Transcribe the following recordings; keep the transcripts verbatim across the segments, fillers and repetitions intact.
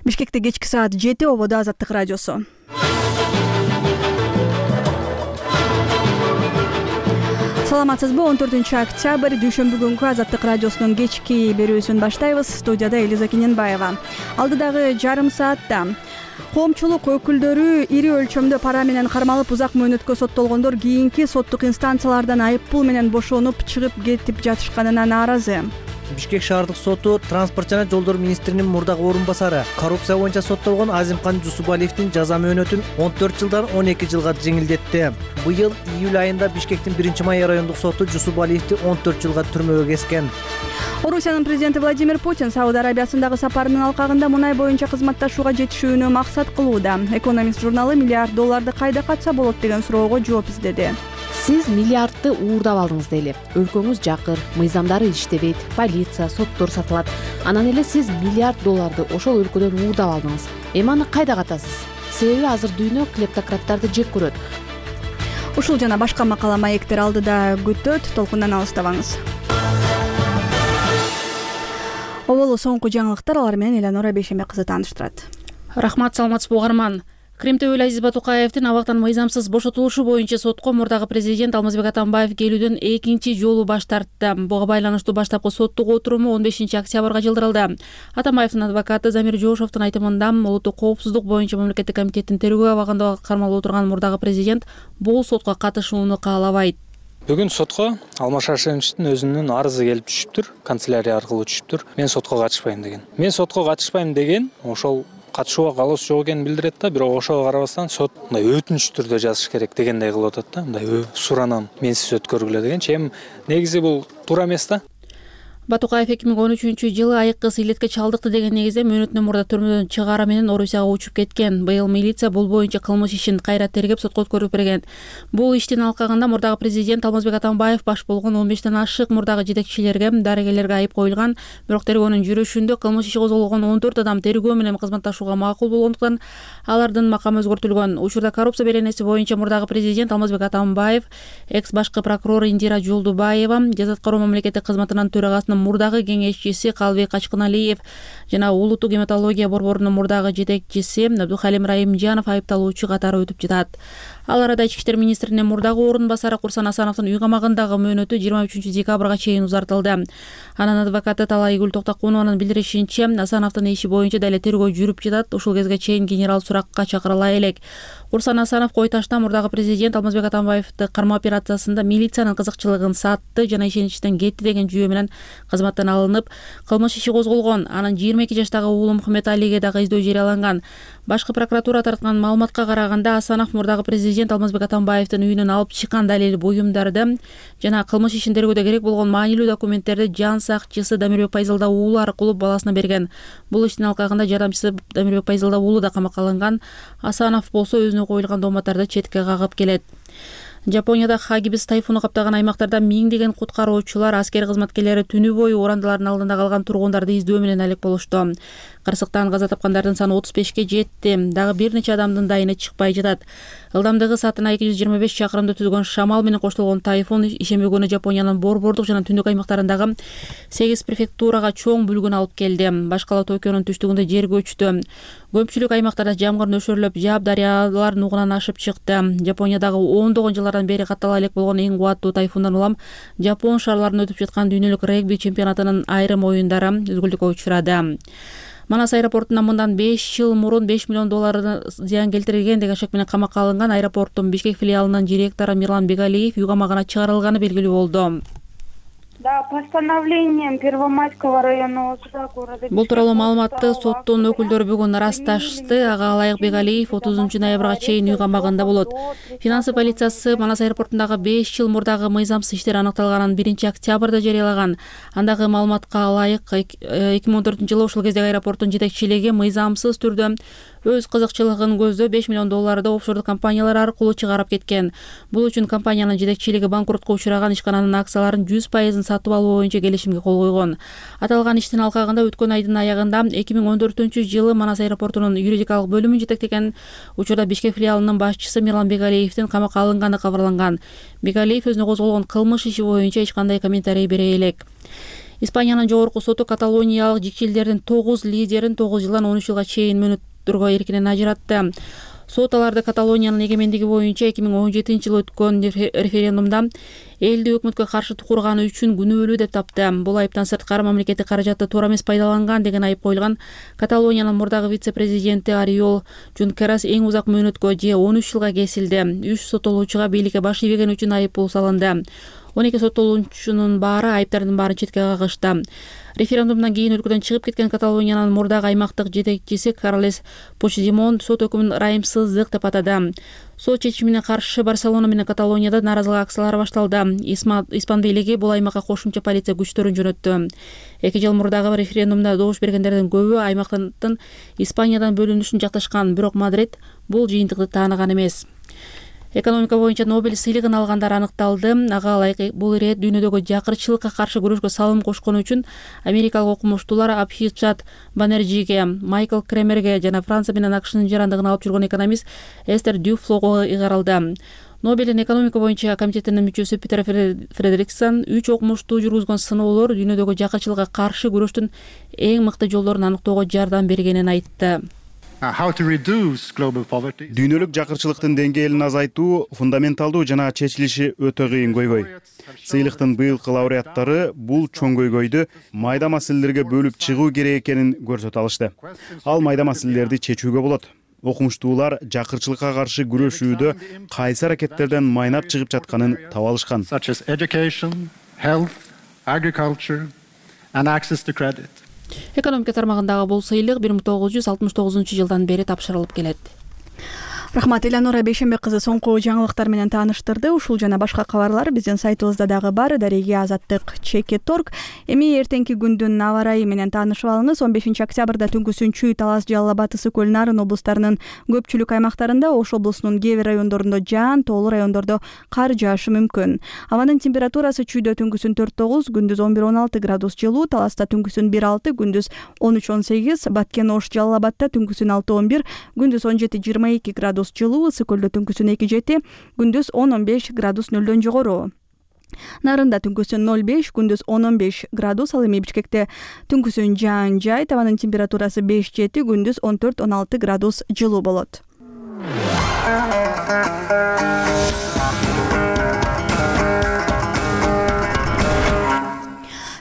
Бишкекте кечки саат жети, ободо Азаттык радиосу. Саламатсызбы? он төртүнчү октябрь дүйшөмбү күнкү Азаттык радиосунун кечки берүүсүн баштайбыз. Студияда Элиза Кененбаева. Алдыдагы жарым саатта коомчулук өкүлдөрү ири өлчөмдө пара менен кармалып узак мөөнөткө соттолгондор кийинки соттук инстанциялардан айыппул менен бошонуп чыгып кетип жатышканына нааразы. Бишкек шаардык соту транспорт жана жолдор министринин мурдагы орун басары коррупция боюнча соттолгон Азимкан Жусупалиевдин жаза мөөнөтүн он төрт жылдан он эки жылга жеңилдетти. Быйыл июль айында Бишкектин биринчи май райондук соту Жусупалиевди он төрт жылга түрмөгө кескен. Орусиянын президенти Владимир Путин Сауд Арабиясындагы сапарынын алкагында мунай боюнча кызматташууга жетишүүнү максат кылууда. Экономист журналы миллиард долларды кайда катса болот деген суроого жооп издеди. Сиз миллиардты уурдап алдыңыз дейли. Өлкөңүз жакыр, мыйзамдары иштебейт, полиция, соттор сатылат. Анан эле сиз миллиард долларды ошол өлкөдөн уурдап алдыңыз. Эми аны кайда катасыз? Себеби азыр дүйнө клептократтарды жек көрөт. Ушул жана башка макала маектер алдыда күтөт, толкундан алыстабаңыз. Оболу соңку жаңылыктар, алар менен Эланора Бейшембек кызы тааныштырат. Рахмат, саламатсызбы угарман. Крим төбөлү Азиз Батукаевдин абактан мыйзамсыз бошотулушу боюнча сотко мурдагы президент Алмазбек Атамбаев келүүдөн экинчи жолу баш тартты. Буга байланыштуу баштапкы соттук отуруму он бешинчи октябрга жылдырылды. Атамбаевдин адвокаты Замир Жошовдун айтымында, улуттук коопсуздук боюнча мамлекеттик комитеттин тергөө абагында кармалып отурган мурдагы президент бул сотко катышууну каалабайт. Бүгүн сотко Алмаз Шаршеновичтин өзүнүн арызы келип түшүптүр, канцелярия аркылуу түшүптүр. Мен сотко катышпайм деген. Мен сотко катышпайм деген ошол катышууга каалоосу жок экенин билдирет да, бирок ошого карабастан сот мындай өтүнүч түрдө жазыш керек дегендей кылып атат да, мындай суранан менсиз өткөргүлө дегенчи. Эми негизи бул туура эмес да. Батукаев эки миң он үчүнчү жылы айыккы сыйлетке чалдыкты деген негизде мөөнөтүнөн мурда түрмөдөн чыгаары менен Орусияга учуп кеткен. Быйыл милиция бул боюнча кылмыш ишин кайра тергеп сотко өткөрүп берген. Бул иштин алкагында мурдагы президент Алмазбек Атамбаев баш болгон он бештен ашык мурдагы жетекчилерге, дарыгерлерге айып коюлган. Бирок тергөөнүн жүрүшүндө кылмыш иши козголгон он төрт адам тергөө менен кызматташууга макул болгондуктан алардын макамы өзгөртүлгөн. Учурда коррупция беренеси боюнча мурдагы президент Алмазбек Атамбаев, экс башкы прокурор Индира Жолдубаева, жаза аткаруу мамлекеттик кызматынын төрагасынын мурдагы кеңешчиси Калбек Качкыналиев жана улуттук гематология борборунун мурдагы жетекчиси Абдухалим Райымжанов айыпталуучу катары өтүп жатат. Ал арада ички иштер министринин мурдагы орун басары Курсан Асановдун үй камагындагы мөөнөтү жыйырма үчүнчү декабрга чейин узартылды. Анын адвокаты Талайгүл Токтокунованын билдиришинче, Асановдун иши боюнча дале тергөө жүрүп жатат. Ушул кезге чейин генерал суракка чакырыла элек. Курсан Асанов Койташта мурдагы президент Алмазбек Атамбаевди кармоо операциясында милициянын кызыкчылыгын сатты жана ишеничтен кетти деген жүйө менен кызматтан алынып, кылмыш иши козголгон. Анын жыйырма эки жаштагы уулу Мухаммед Алиге дагы издөө жарыяланган. Башкы прокуратура тарткан маалыматка караганда, Асанов мурдагы президент Алмазбек Атамбаевдин үйүнөн алып чыккан далил буюмдарды жана кылмыш ишин тергөөдө керек болгон маанилүү документтерди жан сакчысы Дамирбек Пайзалда уулу аркылуу баласына берген. Бул иштин алкагында жардамчысы Дамирбек Пайзалда уулу да камакка алынган. Асанов болсо өзүнө коюлган дооматтарды четке кагып келет. Жапонияда Хагибис тайфуну каптаган аймактарда миңдеген куткаруучулар, аскер кызматкерлери түнү бою урандылардын алдында калган тургундарды издөө менен алек болушту. Кырсыктан каза тапкандардын саны отуз бешке жетти. Дагы бир нече адамдын дайыны чыкпай жатат. Ылдамдыгы саатына эки жүз жыйырма беш чакырымды түзгөн шамал менен коштолгон тайфун ишемби күнү Жапониянын борбордук жана түндүк аймактарындагы сегиз префектурага чоң бүлгүн алып келди. Башкала Токионун түштүгүндө жер көчтү. Көпчүлүк аймактарда жамгыр нөшөрлөп жаап, дарыялар нугунан ашып чыкты. Жапониядагы ондогон жылдардан бери каттала элек болгон эң кубаттуу тайфундан улам Жапон шаарларында өтүп жаткан дүйнөлүк регби чемпионатынын айрым оюндары өзгүлтүккө учурады. Манас аэропортунан мындан беш жыл мурун беш миллион доллар зыян келтирилген деген шек менен камакка алынган аэропорттун Бишкек филиалынын директору Мирлан Бегалиев үй камагына чыгарылганы белгилүү болду. Да, постановлением Первомайского районного суда города. Бул тууралуу маалыматты соттун өкүлдөрү бүгүн ырасташты. Ага Алайык Бегалиев отузунчу ноябрга чейин үй камагында болот. Финансы полициясы Манас аэропортундагы беш жыл мурдагы мыйзамсыз иштер аныкталганын биринчи октябрда жарыялаган. Андагы маалыматка ылайык эки миң он төртүнчү жылы ушул кездеги аэропорттун жетекчилиги мыйзамсыз түрдө өз кызыкчылыгын көздөп беш миллион долларды офшордук компаниялар аркылуу чыгарып кеткен. Бул үчүн компаниянын жетекчилиги банкротко учураган ишкананын акцияларын жүз пайызын сатып алуу боюнча келишимге кол койгон. Аталган иштин алкагында өткөн айдын аягында эки миң он төртүнчү жылы Манас аэропортунун юридикалык бөлүмүн жетектеген учурда Бишкек филиалынын башчысы Мирлан Бегалиевдин камакка алынганы кабарланган. Бегалиев өзүнө козголгон кылмыш иши боюнча эч кандай комментарий бере элек. Испаниянын жогорку соту каталониялык жикчилдердин тогуз лидерин тогуз жылдан он үч жылга чейин мөөнөттөргө эркинен ажыратты. Сот аларды Каталониянын эгемендиги боюнча эки миң он жетинчи жылы өткөн референдумда элди өкмөткө каршы курганы үчүн күнөөлүү деп тапты. Бул айыптан сырткары мамлекеттик каражатты туура эмес пайдаланган деген айып коюлган Каталониянын мурдагы вице-президенти Ориол Жункерас эң узак мөөнөткө же он үч жылга кесилди. Үч соттолуучуга бийликке баш ийбеген үчүн айып пул салынды. он эки соттолуучунун баары айыптардын баарын четке кагышты. Референдумдан кийин өлкөдөн чыгып кеткен Каталониянын мурдагы аймактык жетекчиси Карлес Почдемон сот өкүмүн ырайымсыздык деп атады. Сот чечимине каршы Барселона менен Каталонияда нааразылык акциялары башталды. Испан бийлиги бул аймакка кошумча полиция күчтөрүн жөнөттү. эки жыл мурдагы референдумда добуш бергендердин көбү аймактын Испаниядан бөлүнүшүн жакташкан, бирок Мадрид бул жыйынтыкты тааныган эмес. Экономика боюнча Нобель сыйлыгын алгандар аныкталды. Ага ылайык бул ирет дүйнөдөгү жакырчылыкка каршы күрөшкө салым кошкону үчүн америкалык окумуштуулар Абхичат Банерджиге, Майкл Кремерге жана Франция менен АКШнын жарандыгын алып жүргөн экономист Эстер Дюфлого ыйгарылды. Нобелдин экономика боюнча комитетинин мүчөсү Питер Фредериксон үч окумуштуу жүргүзгөн сыноолор дүйнөдөгү жакырчылыкка каршы күрөштүн эң мыкты жолдорун аныктоого жардам бергенин айтты. Дүйнөлүк жакырчылыктын деңгээлин азайтуу фундаменталдуу жана чечилиши өтө кыйын көйгөй. Сыйлыктын быйылкы лауреаттары бул чоң көйгөйдү майда маселелерге бөлүп чыгуу керек экенин көрсөтө алышты. Ал майда маселелерди чечүүгө болот. Окумуштуулар жакырчылыкка каршы күрөшүүдө кайсы аракеттерден майнап чыгып жатканын таба алышкан. Экономика тармагындагы бул сыйлык бир миң тогуз жүз алтымыш тогузунчу жылдан бери тапшырылып келет. Рахмат, Элеонора Бейшенбек кызы соңку жаңылыктар менен тааныштырды. Ушул жана башка кабарлар биздин сайтыбызда дагы бар. Дареги Азаттык чекит точка орг. Эми эртеңки күндүн аба ырайы менен таанышып алыңыз. он бешинчи октябрда түнкүсүн Чүй, Талас, Жалал Абад, Ысык Көл, Нарын облустарынын көпчүлүк аймактарында, Ош облусунун кээ бир райондорунда жаан, тоолуу райондордо кар жаашы мүмкүн. Абанын температурасы Чүйдө түнкүсүн төрт тогуз, күндүз он бир он алты градус жылуу, Таласта түнкүсүн бир алты, күндүз он үч он сегиз, Баткен, Ош, Жалал Абадта түнкүсүн алты он бир, күндүз он жети жыйырма эки градус жылуу, Ысык Көлдө түнкүсүн эки жети, күндүз он он беш градус нөлдөн жогору. Нарында түнкүсүн ноль беш, күндүз он он беш градус, ал эми Бишкекте түнкүсүн жаан жай, табанын температурасы беш жети, күндүз он төрт он алты градус жылуу болот.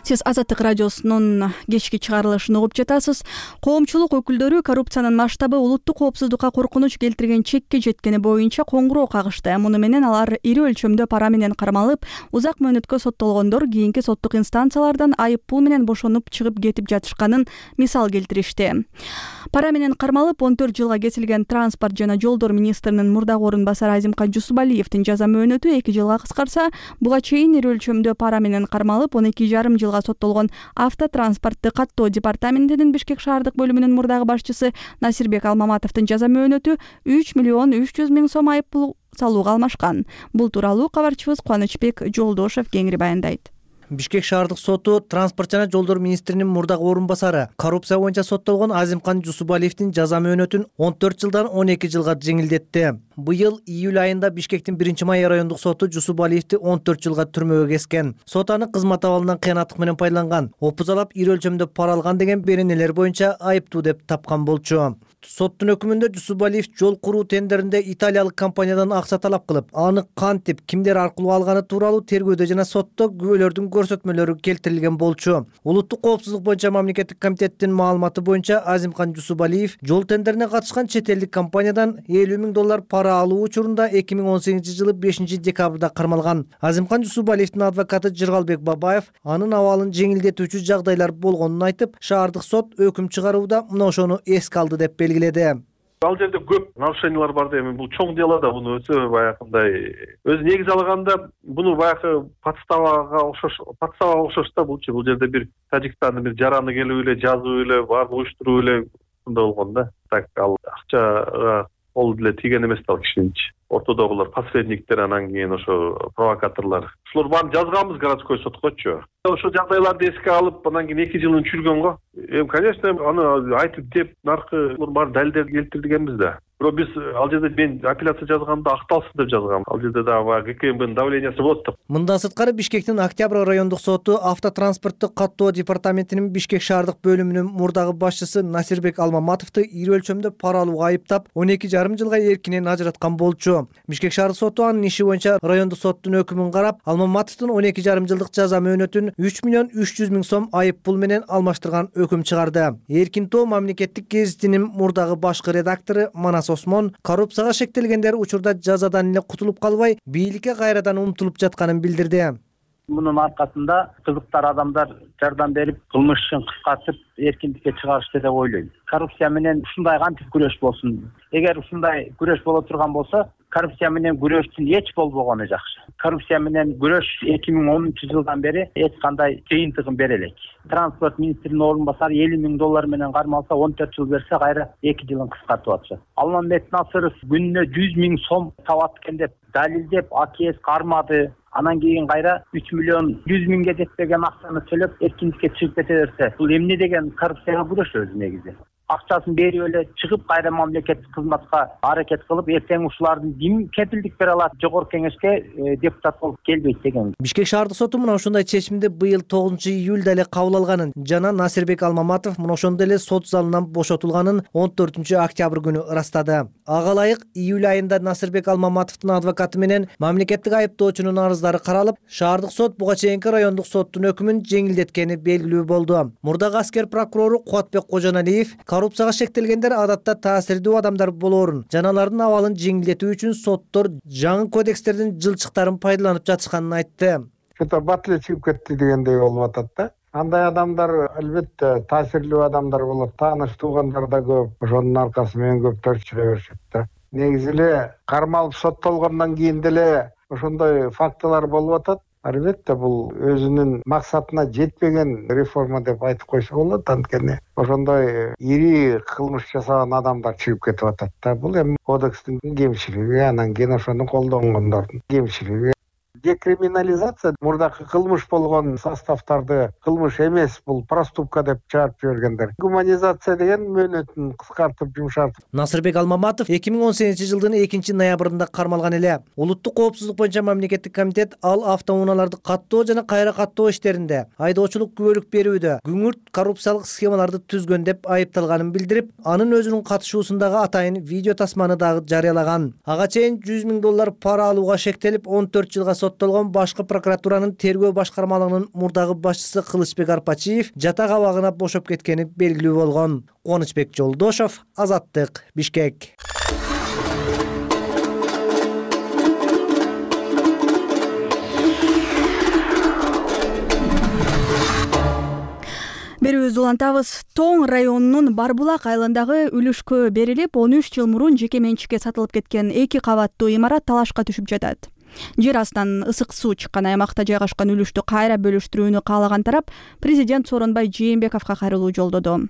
Сиз Азаттык радиосунун кечки чыгарылышын угуп жатасыз. Коомчулук өкүлдөрү коррупциянын масштабы улуттук коопсуздукка коркунуч келтирген чекке жеткени боюнча коңгуроо кагышты. Муну менен алар ири өлчөмдө пара менен кармалып, узак мөөнөткө соттолгондор кийинки соттук инстанциялардан айып пул менен бошонуп чыгып кетип жатышканын мисал келтиришти. Пара менен кармалып он төрт жылга кесилген транспорт жана жолдор министринин мурдагы орун басары Азимкан Жусубалиевдин жаза мөөнөтү эки жылга кыскарса, буга чейин ири өлчөмдө пара менен кармалып он эки жарым жылга соттолгон автотранспортты каттоо департаментинин Бишкек шаардык бөлүмүнүн мурдагы башчысы Насирбек Алмаматовдун жаза мөөнөтү үч миллион үч жүз миң сом айып пул салууга алмашкан. Бул тууралуу кабарчыбыз Кубанычбек Жолдошев кеңири баяндайт. Бишкек шаардык соту транспорт жана жолдор министринин мурдагы орун басары коррупция боюнча соттолгон Азимкан Жусубалиевдин жаза мөөнөтүн он төрт жылдан он эки жылга жеңилдетти. Быйыл июль айында Бишкектин биринчи май райондук соту Жусубалиевди он төрт жылга түрмөгө кескен. Сот аны кызмат абалынан кыянаттык менен пайдаланган, опузалап ири өлчөмдө пара алган деген беренелер боюнча айыптуу деп тапкан болчу. Соттун өкүмүндө Жусубалиев жол куруу тендеринде италиялык компаниядан акча талап кылып, аны кантип, кимдер аркылуу алганы тууралуу тергөөдө жана сотто күбөлөрдүн көрсөтмөлөрү келтирилген болчу. Улуттук коопсуздук боюнча мамлекеттик комитеттин маалыматы боюнча Азимкан Жусубалиев жол тендерине катышкан чет элдик компаниядан элүү миң доллар пара алуу учурунда эки миң он сегизинчи жылы бешинчи декабрда кармалган. Азимкан Жусубалиевдин адвокаты Жыргалбек Бабаев анын абалын жеңилдетүүчү жагдайлар болгонун айтып, шаардык сот өкүм чыгарууда мына ошону эске алды деп белгиледи. Ал жерде көп нарушениялар бар да, эми бул чоң дело да, буну өтө баягындай өзү негизи алганда буну баягы подставага окшош, подставага окшош да булчу. Бул жерде бир Тажикстандын бир жараны келип эле жазуу эле баарын уюштуруу эле ушундай болгон да. Так ал акчага кол деле тийген эмес да ал кишининчи. Ортодогулар посредниктер, анан кийин ошо провокаторлор. Ушулар баарын жазганбыз городской соткочу. Ошо жагдайларды эске алып, анан кийин эки жылын чүргөн го. Эми, конечно, аны айтып деп, наркы баары далилдерди келтирдигенбиз да. бирок биз ал жерде мен апелляция жазганда акталсын деп жазгам. Ал жерде дагы баягы ГКМБнын давлениясы болот деп. Мындан сырткары Бишкектин Октябрь райондук соту автотранспорттук каттоо департаментинин Бишкек шаардык бөлүмүнүн мурдагы башчысы Насирбек Алмаматовду ири өлчөмдө пара алууга айыптап он эки жарым жылга эркинен ажыраткан болчу. Бишкек шаардык соту анын иши боюнча райондук соттун өкүмүн карап, Алмаматовдун он эки жарым жылдык жаза мөөнөтүн үч миллион үч жүз миң сом айып пул менен алмаштырган өкүм чыгарды. Эркин тоо мамлекеттик гезитинин мурдагы башкы редактору Манас Осмон коррупцияга шектелгендер учурда жазадан эле кутулуп калбай, бийликке кайрадан умтулуп жатканын билдирди. Мунун аркасында кызыктар адамдар жардам берип, кылмыш ишин кыскартып, эркиндикке чыгарышты деп ойлойм. Коррупция менен ушундай кантип күрөш болсун? Эгер ушундай күрөш боло турган болсо, коррупция менен күрөштүн эч болбогону жакшы. Коррупция менен күрөш эки миң онунчу жылдан бери эч кандай жыйынтыгын бере элек. Транспорт министринин орун басары элүү миң доллар менен кармалса, он төрт жыл берсе, кайра эки жылын кыскартып атышат. Алмамбет Насыров күнүнө жүз миң сом табат экен деп далилдеп, АКС кармады. Анан кийин кайра үч миллион жүз миңге жетпеген акчаны төлөп эркиндикке чыгып кете берсе, бул эмне деген коррупцияга күрөш өзү негизи. Акчасын берип эле чыгып, кайра мамлекеттик кызматка аракет кылып, эртең ушулардын ким кепилдик бере алат, жогорку кеңешке депутат болуп келбейт деген. Бишкек шаардык соту мына ушундай чечимди быйыл тогузунчу июлда эле кабыл алганын жана Насирбек Алмаматов мына ошондо эле сот залынан бошотулганын он төртүнчү октябрь күнү ырастады. Ага ылайык июль айында Насирбек Алмаматовдун адвокаты менен мамлекеттик айыптоочунун арыздары каралып, шаардык сот буга чейинки райондук соттун өкүмүн жеңилдеткени белгилүү болду. Мурдагы аскер прокурору Кубатбек Кожоналиев коррупцияга шектелгендер адатта таасирдүү адамдар болоорун жана алардын абалын жеңилдетүү үчүн соттор жаңы кодекстердин жылчыктарын пайдаланып жатышканын айтты. Что-то батле чыгып кетти дегендей болуп атат да. Андай адамдар албетте таасирлүү адамдар болот, тааныш туугандар да көп, ошонун аркасы менен көптөр чыга беришет да. Негизи эле кармалып соттолгондон кийин деле ошондой фактылар болуп атат. Албетте бул өзүнүн максатына жетпеген реформа деп айтып койсо болот, анткени ошондой ири кылмыш жасаган адамдар чыгып кетип атат да. Бул эми кодекстин кемчилиги, анан кийин ошону колдонгондордун кемчилиги. Декриминализация мурдакы кылмыш болгон составтарды кылмыш эмес, бул проступка деп чыгарып жибергендер. Гуманизация деген мөөнөтүн кыскартып, жумшартып. Насырбек Алмаматов эки миң он сегизинчи жылдын экинчи ноябрында кармалган эле. Улуттук коопсуздук боюнча мамлекеттик комитет ал автоунааларды каттоо жана кайра каттоо иштеринде айдоочулук күбөлүк берүүдө күңүрт коррупциялык схемаларды түзгөн деп айыпталганын билдирип, анын өзүнүн катышуусундагы атайын видео тасманы дагы жарыялаган. Ага чейин жүз миң доллар пара алууга шектелип он төрт жылга соттолгон башкы прокуратуранын тергөө башкармалыгынын мурдагы башчысы Кылычбек Арпачиев жатак абагына бошоп кеткени белгилүү болгон. Кубанычбек Жолдошов, Азаттык, Бишкек. Берүүбүздү улантабыз. Тоң районунун Барбулак айылындагы үлүшкө берилип, он үч жыл мурун жеке менчикке сатылып кеткен эки кабаттуу имарат талашка түшүп жатат. Жер астынан ысык суу чыккан аймакта жайгашкан үлүштү кайра бөлүштүрүүнү каалаган тарап президент Сооронбай Жээнбековго кайрылуу жолдоду.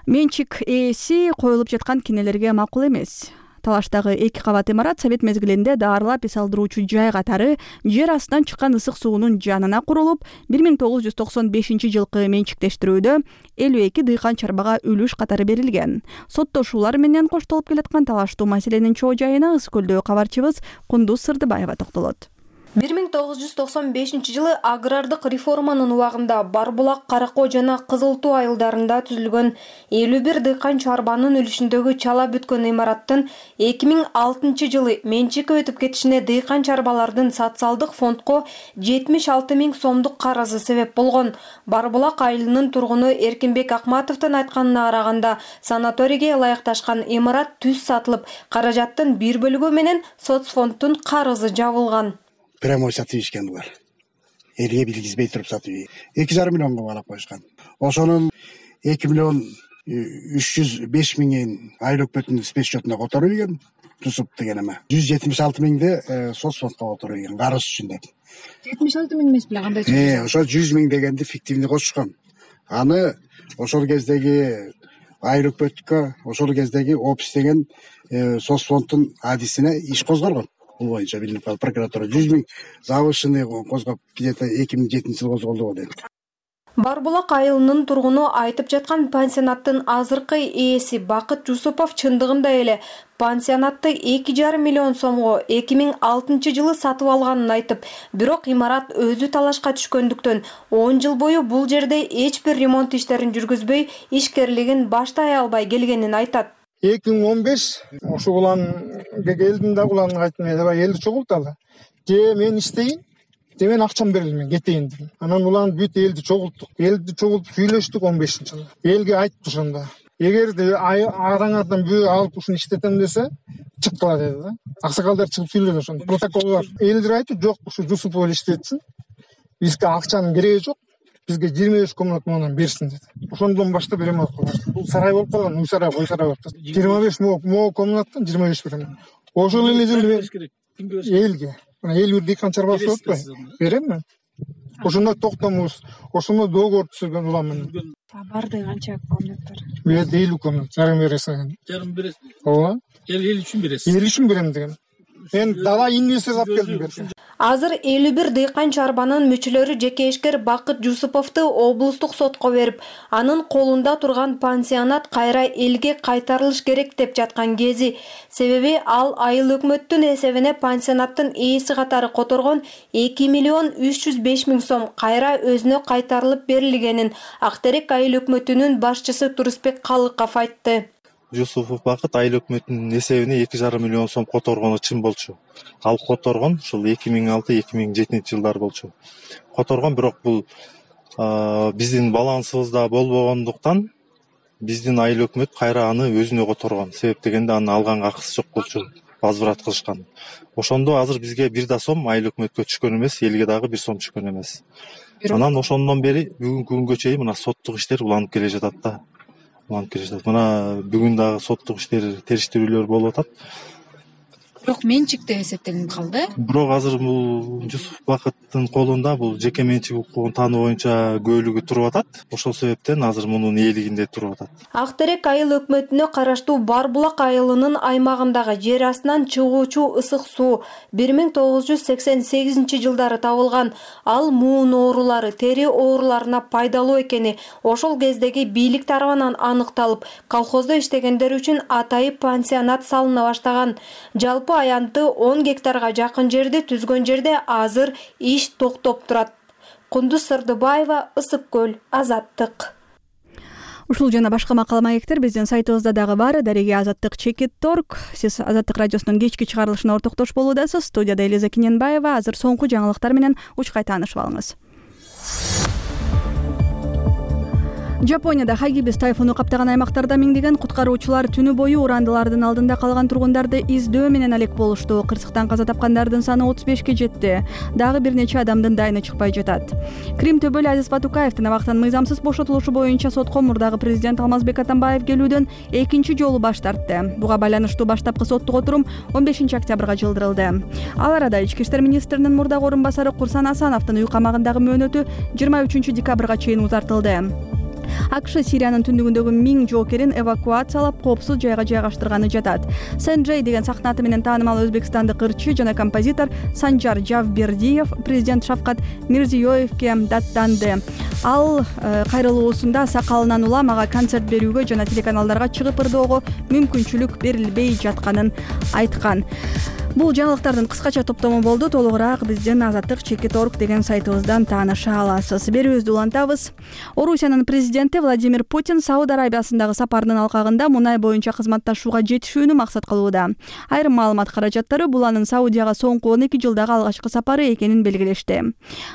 Менчик ээси коюлуп жаткан кинелерге макул эмес. Талаштагы эки кабат имарат совет мезгилинде даарылап эс алдыруучу жай катары жер астынан чыккан ысык суунун жанына курулуп, бир миң тогуз жүз токсон бешинчи жылкы менчиктештирүүдө элүү эки дыйкан чарбага үлүш катары берилген. Соттошуулар менен коштолуп келаткан талаштуу маселенин чоо жайына Ысык көлдөгү кабарчыбыз Кундуз Сырдыбаева токтолот. бир миң тогуз жүз токсон бешинчи жылы агрардык реформанын убагында Барбулак, Каракоо жана Кызыл Туу айылдарында түзүлгөн элүү бир дыйкан чарбанын үлүшүндөгү чала бүткөн имараттын эки миң алтынчы жылы менчикке өтүп кетишине дыйкан чарбалардын социалдык фондко жетимиш алты миң сомдук карызы себеп болгон. Барбулак айылынын тургуну Эркинбек Акматовдун айтканына караганда, санаторийге ылайыкташкан имарат түз сатылып, каражаттын бир бөлүгү менен соцфонддун карызы жабылган. Прямой сатып ишкен булар. Элге билгизбей туруп сатып. эки жарым миллионго балап коюшкан. Ошонун эки миллион үч жүз беш миңин айлык бөтүн спец счетуна которуп ийген. Тусуп деген эме. жүз жетимиш алты миңди соцфондко которуп ийген. Карыз үчүн деп. жетимиш алты миң эмес беле кандай? Э, ошо жүз миң дегенди фиктивный кошушкан. Аны ошол кездеги айлык бөткө, ошол кездеги опис деген соцфонддун адисине иш козголгон. Бул боюнча билинип калды прокуратура жүз миң завышенный козгоп, где-то эки миң жетинчи жылы козголду го дейт. Барбулак айылынын тургуну айтып жаткан пансионаттын азыркы ээси Бакыт Жусупов чындыгында эле пансионатты эки жарым миллион сомго эки миң алтынчы жылы сатып алганын айтып, бирок имарат өзү талашка түшкөндүктөн он жыл бою бул жерде эч бир ремонт иштерин жүргүзбөй, ишкерлигин баштай албай келгенин айтат. эки миң он беш ошо уланга келдим да уланга айттым, аябай элди чогулталы. Же мен иштейин, же мен акчам берели, мен кетейин дедим. Анан улан бүт элди чогулттук. Элди чогултуп сүйлөштүк он бешинчи жылы. Элге айттык ошондо. Эгерде араңардан бөө алып ушуну иштетем десе, чыккыла деди да. Аксакалдар чыгып сүйлөдү ошондо. Протокол бар. Элдер айтты, жок, ушу Жусупов эле иштетсин. Бизге акчанын кереги жок. Бизге жыйырма беш комната мындан берсин деди. Ошондон баштап ремонт кылдык. Бул сарай болуп калган, үй сарай, кой сарай болуп калды. жыйырма беш мо комнаттан жыйырма беш берем. Ошол эле жерде элге. Мына эл бир дыйкан чарбасы болуп атпайбы? Берем мен. Ошондо токтомубуз. Ошондо договор түзүлгөн улам менен. Барды канча комнаттар? Бул элүү комната. Жарым бересиң. Жарым бересиң. Ооба. Эл эл үчүн бересиң. Эл үчүн берем деген. Мен дала инвестор алып келдим берсем. Азыр элүү бир дыйкан чарбанын мүчөлөрү жеке ишкер Бакыт Жусуповду облустук сотко берип, анын колунда турган пансионат кайра элге кайтарылыш керек деп жаткан кези. Себеби ал айыл өкмөттүн эсебине пансионаттын ээси катары которгон эки миллион үч жүз беш миң сом кайра өзүнө кайтарылып берилгенин Актерек айыл өкмөтүнүн башчысы Турусбек Калыков айтты. Жусупов Бакыт айыл өкмөтүнүн эсебине эки жарым миллион сом которгону чын болчу. Ал которгон ушул эки миң алты эки миң жетинчи жылдар болчу. Которгон, бирок бул биздин балансыбызда болбогондуктан биздин айыл өкмөт кайра аны өзүнө которгон. Себеп дегенде аны алганга акысы жок болчу. Возврат кылышкан. Ошондо азыр бизге бир да сом айыл өкмөткө түшкөн эмес, элге дагы бир сом түшкөн эмес. Анан ошондон бери бүгүнкү күнгө чейин мына соттук иштер уланып келе жатат да. Мына бүгүн дагы соттук иштер, териштирүүлөр болуп атат. Бирок менчик деп эсептелип калды. Бирок азыр бул Жусупов Бакыттын колунда бул жеке менчик укугун таануу боюнча көөлүгү туруп атат. Ошол себептен азыр мунун ээлигинде туруп атат. Актерек айыл өкмөтүнө караштуу Барбулак айылынын аймагындагы жер астынан чыгуучу ысык суу бир миң тогуз жүз сексен сегизинчи жылдары табылган. Ал муун оорулары, тери ооруларына пайдалуу экени ошол кездеги бийлик тарабынан аныкталып, колхоздо иштегендер үчүн атайып пансионат салына баштаган. Жалпы аянты он гектарга жакын жерди түзгөн жерде азыр иш токтоп турат. Кундуз Сырдыбаева, Ысык көл, Азаттык. Ушул жана башка макала маектер биздин сайтыбызда дагы бар. Дареги Азаттык чекит точка орг. Сиз Азаттык радиосунун кечки чыгарылышына ортоктош болуудасыз. Студияда Элиза Киненбаева. Азыр соңку жаңылыктар менен учкай таанышып алыңыз. Жапонияда Хагибис тайфуну каптаган аймактарда миңдеген куткаруучулар түнү бою урандылардын алдында калган тургундарды издөө менен алек болушту. Кырсыктан каза тапкандардын саны отуз бешке жетти. Дагы бир нече адамдын дайыны чыкпай жатат. Крим төбөлү Азиз Батукаевдин абактан мыйзамсыз бошотулушу боюнча сотко мурдагы президент Алмазбек Атамбаев келүүдөн экинчи жолу баш тартты. Буга байланыштуу баштапкы соттук отурум он бешинчи октябрга жылдырылды. Ал арада Ички иштер министринин мурдагы орун басары Курсан Асановдун үй камагындагы мөөнөтү жыйырма үчүнчү декабрга чейин узартылды. АКШ Сириянын түндүгүндөгү миң жоокерин эвакуациялап, коопсуз жайга жайгаштырганы жатат. Сэнджей деген сахна аты менен таанымал өзбекстандык ырчы жана композитор Санжар Жавбердиев президент Шавкат Мирзиёевке даттанды. Ал кайрылуусунда сакалынан улам ага концерт берүүгө жана телеканалдарга чыгып ырдоого мүмкүнчүлүк берилбей жатканын айткан. Бул жаңылыктардын кыскача топтому болду. Толугураак биздин Азаттык чекит точка орг деген сайтыбыздан тааныша аласыз. Берүүбүздү улантабыз. Орусиянын президенти Владимир Путин Сауд Арабиясындагы сапарынын алкагында мунай боюнча кызматташууга жетишүүнү максат кылууда. Айрым маалымат каражаттары бул анын Саудияга соңку он эки жылдагы алгачкы сапары экенин белгилешти.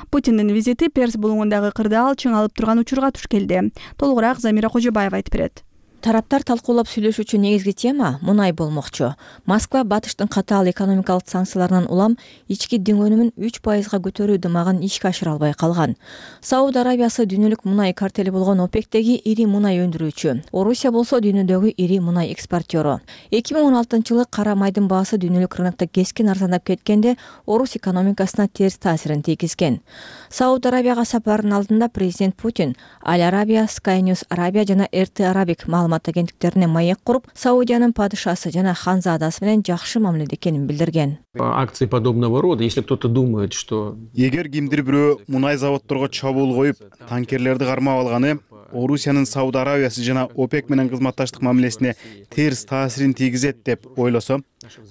Путиндин визити Перс булуңундагы кырдаал чыңалып турган учурга туш келди. Толугураак Замира Кожобаева айтып берет. Тараптар талкуулап сүйлөшүүчү негизги тема мунай болмокчу. Москва Батыштын катаал экономикалык санкцияларынан улам ички диң өнүмүн үч пайызга көтөрүү дымагын ишке ашыра албай калган. Сауд Арабиясы дүйнөлүк мунай картели болгон ОПЕКтеги ири мунай өндүрүүчү. Орусия болсо дүйнөдөгү ири мунай экспортёру. эки миң он алтынчы жылы кара майдын баасы дүйнөлүк рынокто кескин арзандап кеткенде Орус экономикасына терс таасирин тийгизген. Сауд Арабияга сапарынын алдында президент Путин Аль Арабия, Sky News Arabia жана эр тэ Arabic маалымат маалымат агенттиктерине маек куруп, Саудиянын падышасы жана ханзадасы менен жакшы мамиледе экенин билдирген. Акции подобного рода, если кто-то думает, что эгер кимдир бирөө мунай заводдорго чабуул коюп, танкерлерди кармап алганы Орусиянын Сауд Арабиясы жана ОПЕК менен кызматташтык мамилесине терс таасирин тийгизет деп ойлосо,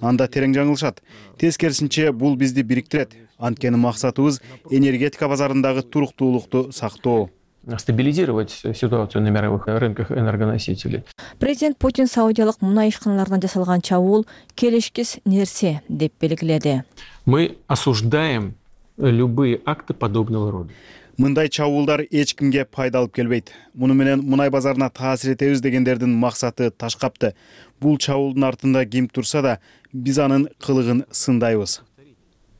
анда терең жаңылышат. Тескерисинче, бул бизди бириктирет. Анткени максатыбыз энергетика базарындагы туруктуулукту сактоо. Стабилизировать ситуацию на мировых рынках энергоносителей. Президент Путин саудиялык мунай ишканаларына жасалган чабуул келишкис нерсе деп белгиледи. Мы осуждаем любые акты подобного рода. Мындай чабуулдар эч кимге пайда алып келбейт. Муну менен мунай базарына таасир этебиз дегендердин максаты ташкапты. Бул чабуулдун артында ким турса да, биз анын кылыгын сындайбыз.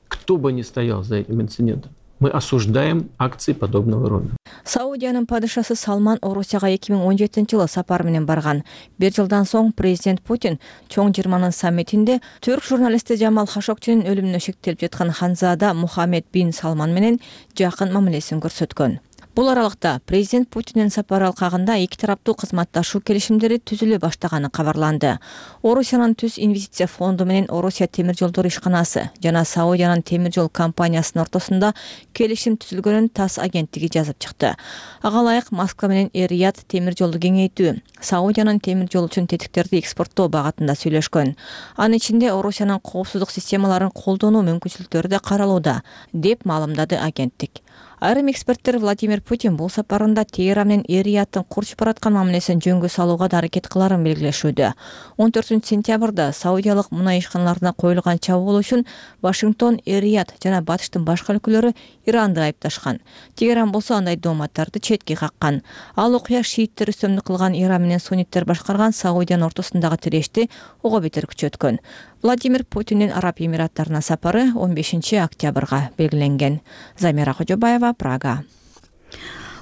Кто бы ни стоял за этим инцидентом, мы осуждаем акции подобного рода. Саудиянын падышасы Салман Орусияга эки миң он жетинчи жылы сапар менен барган. Бир жылдан соң президент Путин чоң жыйырманын саммитинде түрк журналисти Жамал Хашогчинин өлүмүнө шектелип жаткан ханзада Мухаммед бин Салман менен жакын мамилесин көрсөткөн. Бул аралыкта президент Путиндин сапары алкагында эки тараптуу кызматташуу келишимдери түзүлө баштаганы кабарланды. Орусиянын Түз инвестиция фонду менен Орусия темир жолдор ишканасы жана Саудиянын темир жол компаниясынын ортосунда келишим түзүлгөнүн ТАСС агенттиги жазып чыкты. Ага ылайык Москва менен Эр-Рияд темир жолду кеңейтүү, Саудиянын темир жол үчүн тетиктерди экспорттоо багытында сүйлөшкөн. Анын ичинде Орусиянын коопсуздук системаларын колдонуу мүмкүнчүлүктөрү да каралууда, деп маалымдады агенттик. Айрым эксперттер Владимир Путин бул сапарында Тегеран менен Эр-Рияттын курчуп бараткан мамилесин жөнгө салууга да аракет кыларын белгилешүүдө. он төртүнчү сентябрда саудиялык мунай ишканаларына коюлган чабуул үчүн Вашингтон, Эр-Рияд жана Батыштын башка өлкөлөрү Иранды айыпташкан. Тегеран болсо андай дооматтарды четке каккан. Ал окуя шииттер үстөмдүк кылган Иран менен сунниттер башкарган Саудиянын ортосундагы тирешти ого бетер күчөткөн. Владимир Путиндин Араб Эмираттарына сапары он бешинчи октябрга белгиленген. Замира Кожобаева, Прага.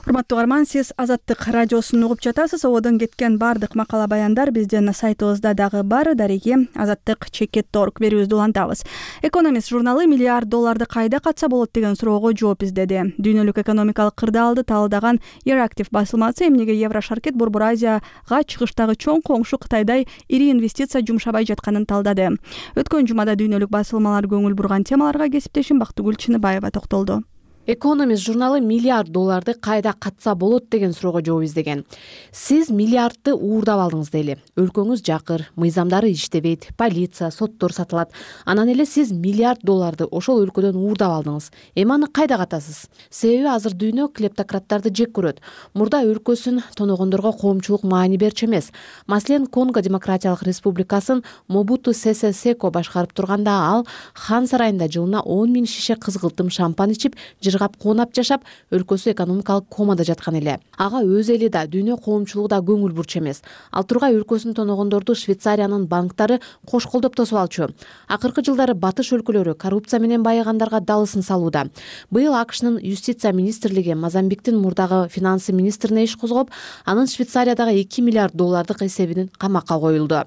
Урматтуу угарман, сиз Азаттык радиосун угуп жатасыз. Ободон кеткен бардык макала баяндар биздин сайтыбызда дагы бар. Дареги азаттык чекит точка орг берүүбүздү улантабыз. Экономист журналы миллиард долларды кайда катса болот деген суроого жооп издеди. Дүйнөлүк экономикалык кырдаалды талдаган Euractiv басылмасы эмнеге Еврошаркет Борбор Азияга чыгыштагы чоң коңшу Кытайдай ири инвестиция жумшабай жатканын талдады. Өткөн жумада дүйнөлүк басылмалар көңүл бурган темаларга кесиптешим Бактыгүл Чыныбаева токтолду. Экономист журналы миллиард долларды кайда катса болот деген суроого жооп издеген. Сиз миллиардты уурдап алдыңыз дейли. Өлкөңүз жакыр, мыйзамдары иштебейт, полиция, соттор сатылат. Анан эле сиз миллиард долларды ошол өлкөдөн уурдап алдыңыз. Эми аны кайда катасыз? Себеби азыр дүйнө клептократтарды жек көрөт. Мурда өлкөсүн тоногондорго коомчулук маани берчү эмес. Маселен, Конго Демократиялык Республикасын Мобуту Сесе Секо башкарып турганда ал хан сарайында жылына он миң шише кызгылтым шампан ичип, жыргап коонап жашап, өлкөсү экономикалык комада жаткан эле. Ага өз эли да, дүйнө коомчулугу да көңүл бурчу эмес. Ал тургай өлкөсүн тоногондорду Швейцариянын банктары кош колдоп тосуп алчу. Акыркы жылдары батыш өлкөлөрү коррупция менен байыгандарга далысын салууда. Быйыл АКШнын юстиция министрлиги Мозамбиктин мурдагы финансы министрине иш козгоп, анын Швейцариядагы эки миллиард доллардык эсебинин камакка коюлду.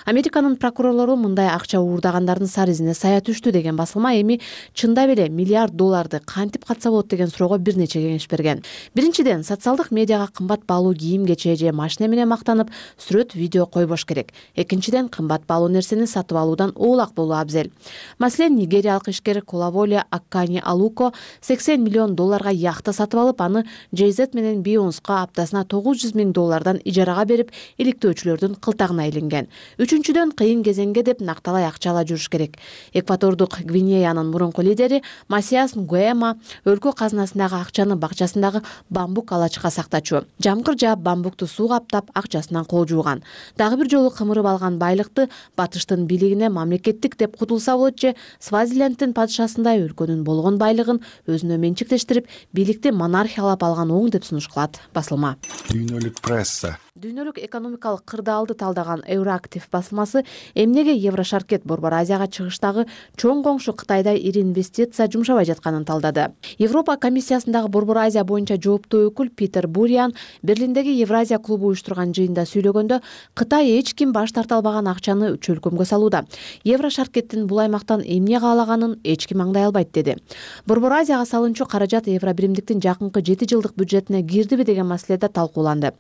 Американын прокурорлору мындай акча уурдагандардын сары изине сая түштү деген басылма эми чындап эле миллиард долларды кантип катса болот деген суроого бир нече кеңеш берген. Биринчиден, социалдык медиага кымбат баалуу кийим кече же машина менен мактанып, сүрөт, видео койбош керек. Экинчиден, кымбат баалуу нерсени сатып алуудан оолак болуу абзел. Маселен, нигериялык ишкер Колаволе Аккани Алуко сексен миллион долларга яхта сатып алып, аны Джей Зет менен Бейонска аптасына тогуз жүз миң доллардан ижарага берип, иликтөөчүлөрдүн кылтагына илинген. Үчүнчүдөн, кыйын кезеңге деп накталай акча ала жүрүш керек. Экватордук Гвинеянын мурунку лидери Масиас Нгуэма өлкө казынасындагы акчаны бакчасындагы бамбук алачка сактачу. Жамгыр жаап, бамбукту сууга аптап, акчасынан кол жууган. Дагы бир жолу кымырып алган байлыкты батыштын бийлигине мамлекеттик деп кутулса болот же Свазиленттин падышасындай өлкөнүн болгон байлыгын өзүнө менчиктештирип, бийликти монархиялап алган оң деп сунуш кылат басылма. Дүйнөлүк пресса Дүйнөлүк экономикалык кырдаалды талдаган Euractiv басылмасы эмнеге Еврошаркет Борбор Азияга чыгыштагы чоң коңшу Кытайдай ири инвестиция жумшабай жатканын талдады. Европа комиссиясындагы Борбор Азия боюнча жооптуу өкүл Питер Буриан Берлиндеги Евразия клубу уюштурган жыйында сүйлөгөндө, Кытай эч ким баш тарта албаган акчаны чөлкөмгө салууда. Еврошаркеттин бул аймактан эмне каалаганын эч ким аңдай албайт деди. Борбор Азияга салынчу каражат Евробиримдиктин жакынкы жети жылдык бюджетине кирдиби деген маселеде талкууланды.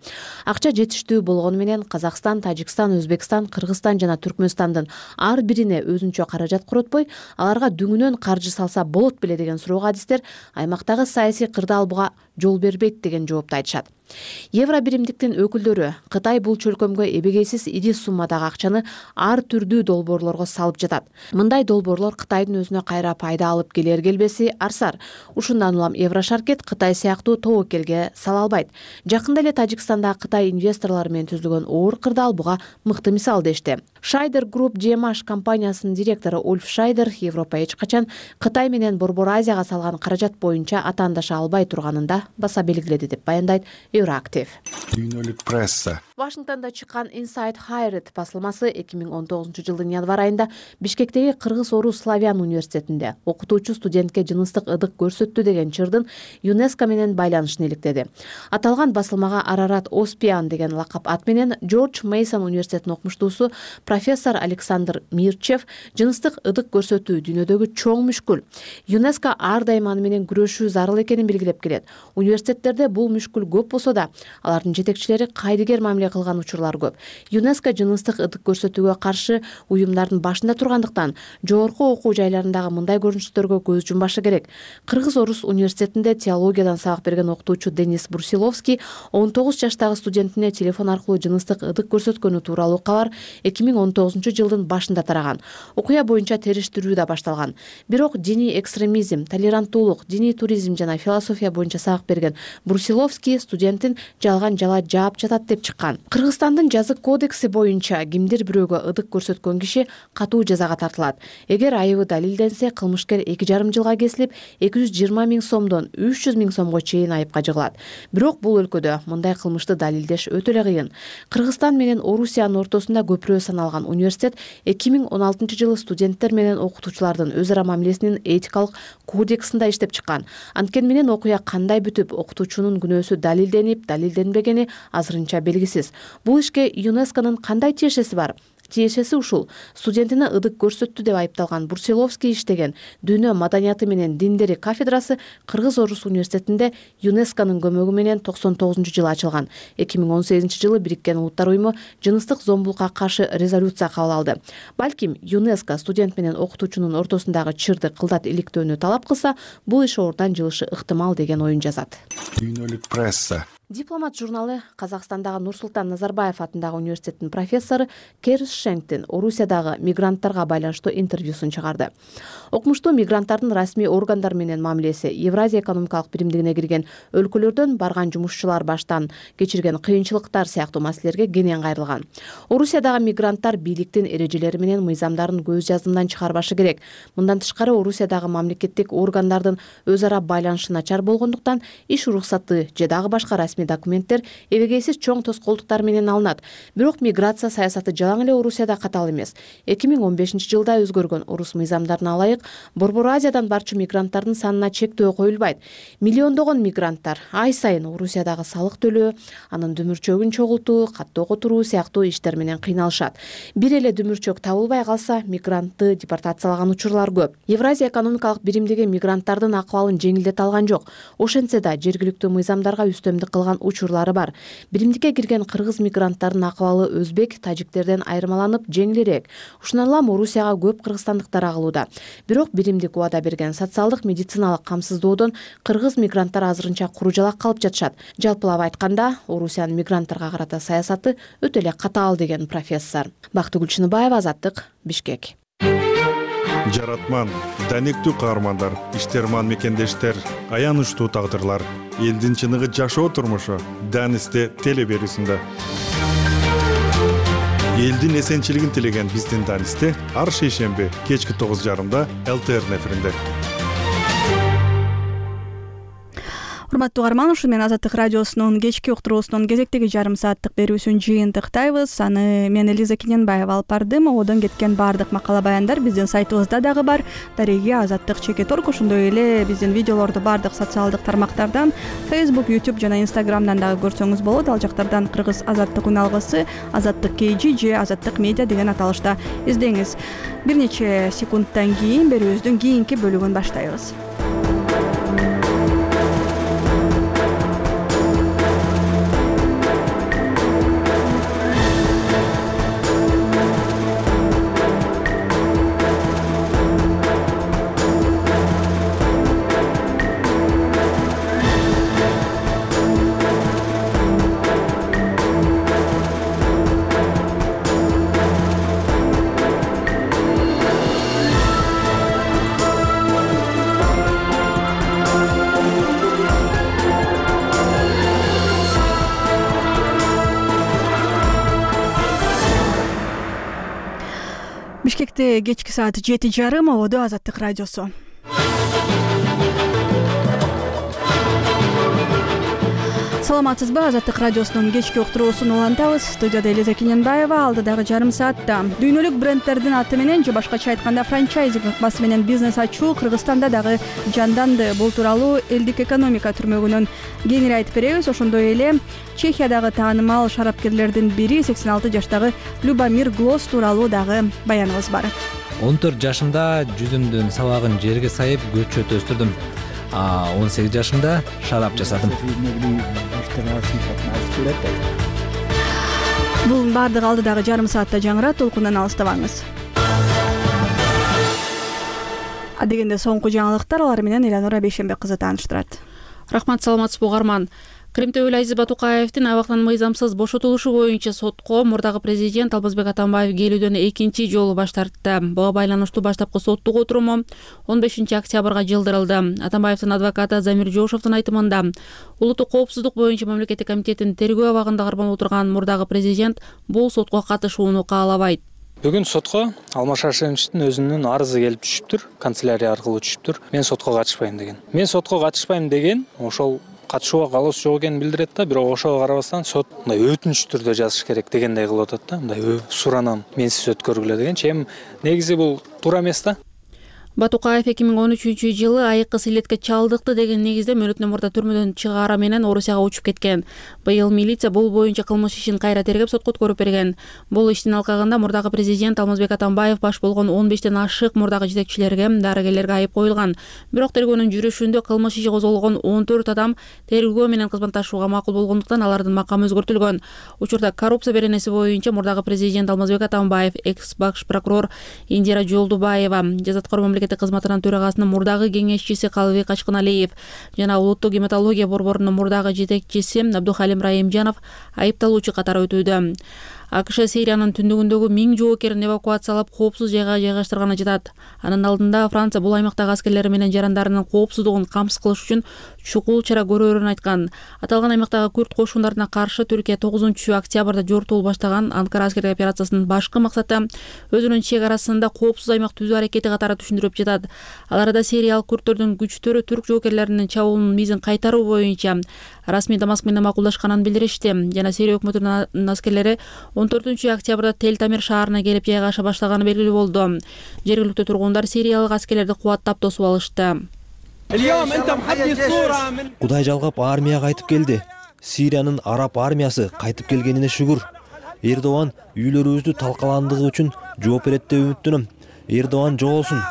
Акча жети жетиштүү болгону менен Казакстан, Тажикстан, Өзбекстан, Кыргызстан жана Түркмөнстандын ар бирине өзүнчө каражат коротпой, аларга дүңүнөн каржы салса болот беле деген суроого адистер аймактагы саясий кырдаалбыга жол бербейт деген жоопту айтышат. Евро биримдиктин өкүлдөрү Кытай бул чөлкөмгө эбегейсиз ири суммадагы акчаны ар түрдүү долбоорлорго салып жатат. Мындай долбоорлор Кытайдын өзүнө кайра пайда алып келер келбеси арсар. Ушундан улам Еврошаркет Кытай сыяктуу тобокелге сала албайт. Жакында эле Тажикстанда Кытай инвесторлору менен түзүлгөн оор кырдаалбыга мыкты мисал дешти. Шайдер Group джи эм эйч компаниясынын директору Ульф Шайдер Европа эч качан Кытай менен Борбор Азияга салган каражат боюнча атаандаша албай турганында баса белгиледи деп баяндайт Euroactiv. Дүйнөлүк пресса. Вашингтондо чыккан Inside Higher басылмасы эки миң он тогузунчу жылдын январь айында Бишкектеги Кыргыз-Орус Славян университетинде окутуучу студентке жыныстык ыдык көрсөттү деген чырдын ЮНЕСКО менен байланышын иликтеди. Аталган басылмага Арарат Оспиан деген лакап ат менен Джордж Мейсон университетинин окумуштуусу профессор Александр Мирчев жыныстык ыдык көрсөтүү дүйнөдөгү чоң мүшкүл. ЮНЕСКО ар дайым аны менен күрөшүү зарыл экенин белгилеп келет. Университеттерде бул мүшкүл көп болсо да, алардын жетекчилери кайдыгер мамиле кылган учурлар көп. ЮНЕСКО жыныстык ыдык көрсөтүүгө каршы уюмдардын башында тургандыктан жогорку окуу жайларындагы мындай көрүнүштөргө көз жумбашы керек. Кыргыз-Орус университетинде теологиядан сабак берген окутуучу Денис Брусиловский он тогуз жаштагы студентине телефон аркылуу жыныстык ыдык көрсөткөнү тууралуу кабар эки миң он тогузунчу жылдын башында тараган. Окуя боюнча териштирүү да башталган. Бирок диний экстремизм, толеранттуулук, диний туризм жана философия боюнча сабак берген Брусиловский студентин жалган жала жаап жатат деп чыккан. Кыргызстандын жазык кодекси боюнча кимдир бирөөгө ыдык көрсөткөн киши катуу жазага тартылат. Эгер айыбы далилденсе, кылмышкер эки жарым жылга кесилип, эки жүз жыйырма миң сомдон үч жүз миң сомго чейин айыпка жыгылат. Бирок бул өлкөдө мындай кылмышты далилдеш өтө эле кыйын. Кыргызстан менен Орусиянын ортосунда көпүрө саналган университет эки миң он алтынчы жылы студенттер менен окутуучулардын өз ара мамилесинин этикалык кодексинде иштеп чыккан. Анткени менен окуя кандай бүтүп, окутуучунун күнөөсү далилденип, далилденбегени азырынча белгисиз. Бул ишке ЮНЕСКОнун кандай тиешеси бар? Тиешеси ушул. Студентине ыдык көрсөттү деп айыпталган Брусиловский иштеген Дүйнө маданияты менен диндери кафедрасы Кыргыз-Орус университетинде ЮНЕСКОнун көмөгү менен токсон тогузунчу жылы ачылган. эки миң он сегизинчи жылы Бириккен Улуттар уюму жыныстык зомбулукка каршы резолюция кабыл алды. Балким ЮНЕСКО студент менен окутуучунун ортосундагы чырды кылдат иликтөөнү талап кылса, бул иш ордон жылышы ыктымал деген оюн жазат. Дүйнөлүк пресса. Дипломат журналы Казакстандагы Нурсултан Назарбаев атындагы университеттин профессору Керс Шенктин Орусиядагы мигранттарга байланыштуу интервьюсун чыгарды. Окумуштуу мигранттардын расмий органдар менен мамилеси Евразия экономикалык биримдигине кирген өлкөлөрдөн барган жумушчулар баштан кечирген кыйынчылыктар сыяктуу маселелерге кенен кайрылган. Орусиядагы мигранттар бийликтин эрежелери менен мыйзамдарын көз жазымдан чыгарбашы керек. Мындан тышкары Орусиядагы мамлекеттик органдардын өз ара байланышы начар болгондуктан иш уруксаты же дагы башка расмий документтер эбегейсиз чоң тоскоолдуктар менен алынат. Бирок миграция саясаты жалаң эле Орусияда катал эмес. эки миң он бешинчи жылда өзгөргөн орус мыйзамдарына ылайык Борбор Азиядан барчу мигранттардын санына чектөө коюлбайт. Миллиондогон мигранттар ай сайын Орусиядагы салык төлөө, анын дүмүрчөгүн чогултуу, каттоо которуу сыяктуу иштер менен кыйналышат. Бир эле дүмүрчөк табылбай калса, мигрантты депортациялаган учурлар көп. Евразия экономикалык биримдиги мигранттардын акыбалын жеңилдете алган жок. Ошентсе да жергиликтүү мыйзамдарга үстөмдүк кылган учурлары бар. Биримдикке кирген кыргыз мигранттардын акыбалы өзбек, тажиктерден айырмаланып жеңилирээк. Ушундан улам Орусияга көп кыргызстандыктар агылууда. Бирок биримдик убада берген социалдык медициналык камсыздоодон кыргыз мигранттар азырынча куру жалак калып жатышат. Жалпылап айтканда, Орусиянын мигранттарга карата саясаты өтө эле катаал деген профессор. Бактыгүл Чыныбаева, Азаттык, Бишкек. Жаратман, данектүү каармандар, иштерман мекендештер, аянычтуу тагдырлар, элдин чыныгы жашоо турмушу Данисте теле берүүсүндө. Элдин эсенчилигин тилеген биздин Данисте ар шейшемби кечки тогуз жарымда эл тэ эр эфиринде. Урматтуу угарман, ушу менен Азаттык радиосунун кечки уктуруусунун кезектеги жарым сааттык берүүсүн жыйынтыктайбыз. Аны мен Элиза Кененбаева алып бардым. Одон кеткен баардык макала баяндар биздин сайтыбызда дагы бар. Дареги Азаттык чекит орг. Ошондой эле биздин видеолорду баардык социалдык тармактардан, Facebook, YouTube жана Instagramдан дагы көрсөңүз болот. Ал жактардан Кыргыз Азаттык үналгысы, Азаттык кей жи же Азаттык медиа деген аталышта издеңиз. Бир нече секундтан кийин берүүбүздүн кийинки бөлүгүн баштайбыз. Бишкекте кечки саат жети жарым, абоодо Азаттык радиосу. Саламатсызбы? Азаттык радиосунун кечки уктуруусун улантабыз. Студияда Элиза Кененбаева. Алдыдагы жарым саатта дүйнөлүк брендтердин аты менен же башкача айтканда франчайзинг ыкмасы менен бизнес ачуу Кыргызстанда дагы жанданды. Бул тууралуу элдик экономика түрмөгүнөн кеңири айтып беребиз. Ошондой эле Чехиядагы таанымал шарапкерлердин бири сексен алты жаштагы Любомир Глос тууралуу дагы баяныбыз бар. он төрт жашымда жүзүмдүн сабагын жерге сайып көчөт өстүрдүм. он сегиз жашымда шарап жасадым. Бул баардыгы алдыдагы жарым саатта жаңырат, толкундан алыстабаңыз. Адегенде соңку жаңылыктар, алар менен Эланора Бейшенбек кызы тааныштырат. Рахмат, саламатсызбы угарман. Крим төбөлү Азиз Батукаевдин абактан мыйзамсыз бошотулушу боюнча сотко мурдагы президент Алмазбек Атамбаев келүүдөн экинчи жолу баш тартты. Буга байланыштуу баштапкы соттук отуруму он бешинчи октябрга жылдырылды. Атамбаевдин адвокаты Замир Жошовдун айтымында, улуттук коопсуздук боюнча мамлекеттик комитеттин тергөө абагында кармалып отурган мурдагы президент бул сотко катышууну каалабайт. Бүгүн сотко Алмаз Шаршеновичтин өзүнүн арызы келип түшүптүр, канцелярия аркылуу түшүптүр. Мен сотко катышпайм деген. Мен сотко катышпайм деген ошол катышууга калоосу жок экенин билдирет да, бирок ошого карабастан сот мындай өтүнүч түрдө жазыш керек дегендей кылып атат да, мындай суранан менсиз өткөргүлө дегенчи. Эми негизи бул туура эмес да. Батукаев эки миң он үчүнчү жылы айыккы силетке чалдыкты деген негизде мөөнөтүнөн мурда түрмөдөн чыгаара менен Орусияга учуп кеткен. Быйыл милиция бул боюнча кылмыш ишин кайра тергеп сотко өткөрүп берген. Бул иштин алкагында мурдагы президент Алмазбек Атамбаев баш болгон он бештен ашык мурдагы жетекчилерге, дарыгерлерге айып коюлган. Бирок тергөөнүн жүрүшүндө кылмыш иши козголгон он төрт адам тергөө менен кызматташууга макул болгондуктан алардын макамы өзгөртүлгөн. Учурда коррупция беренеси боюнча мурдагы президент Алмазбек Атамбаев, экс баш прокурор Индира Жолдубаева, жазаткор мамлекеттик кызматынын төрагасынын мурдагы кеңешчиси Калыбек Качкыналиев жана улуттук гематология борборунун мурдагы жетекчиси Абдухалим Раимжанов айыпталуучу катары өтүүдө. АКШ Сириянын түндүгүндөгү миң жоокерин эвакуациялап коопсуз жайга жайгаштырганы жатат. Анын алдында Франция бул аймактагы аскерлери менен жарандарынын коопсуздугун камсыз кылыш үчүн чукул чара көрөрүн айткан. Аталган аймактагы күрд кошундарына каршы Түркия тогузунчу октябрда жортуул баштаган Анкара аскердик операциясынын башкы максаты өзүнүн чек арасында коопсуз аймак түзүү аракети катары түшүндүрүп жатат. Аларда сириялык күрдтөрдүн күчтөрү түрк жоокерлеринин чабуулунун мизин кайтаруу боюнча расмий Дамаск менен макулдашканын билдиришти. Жана Сирия өкмөтүнүн аскерлери он төртүнчү октябрда Тел-Тамир шаарына келип жайгаша баштаганы белгилүү болду. Жергиликтүү тургундар сириялык аскерлерди кубаттап тосуп алышты. Кудай жалгап армияга кайтып келди. Сириянын араб армиясы кайтып келгенине шүгүр. Эрдоган үйлөрүбүздү талкаландыгы үчүн жооп берет деп үмүттөнөм. Эрдоган жоголсун.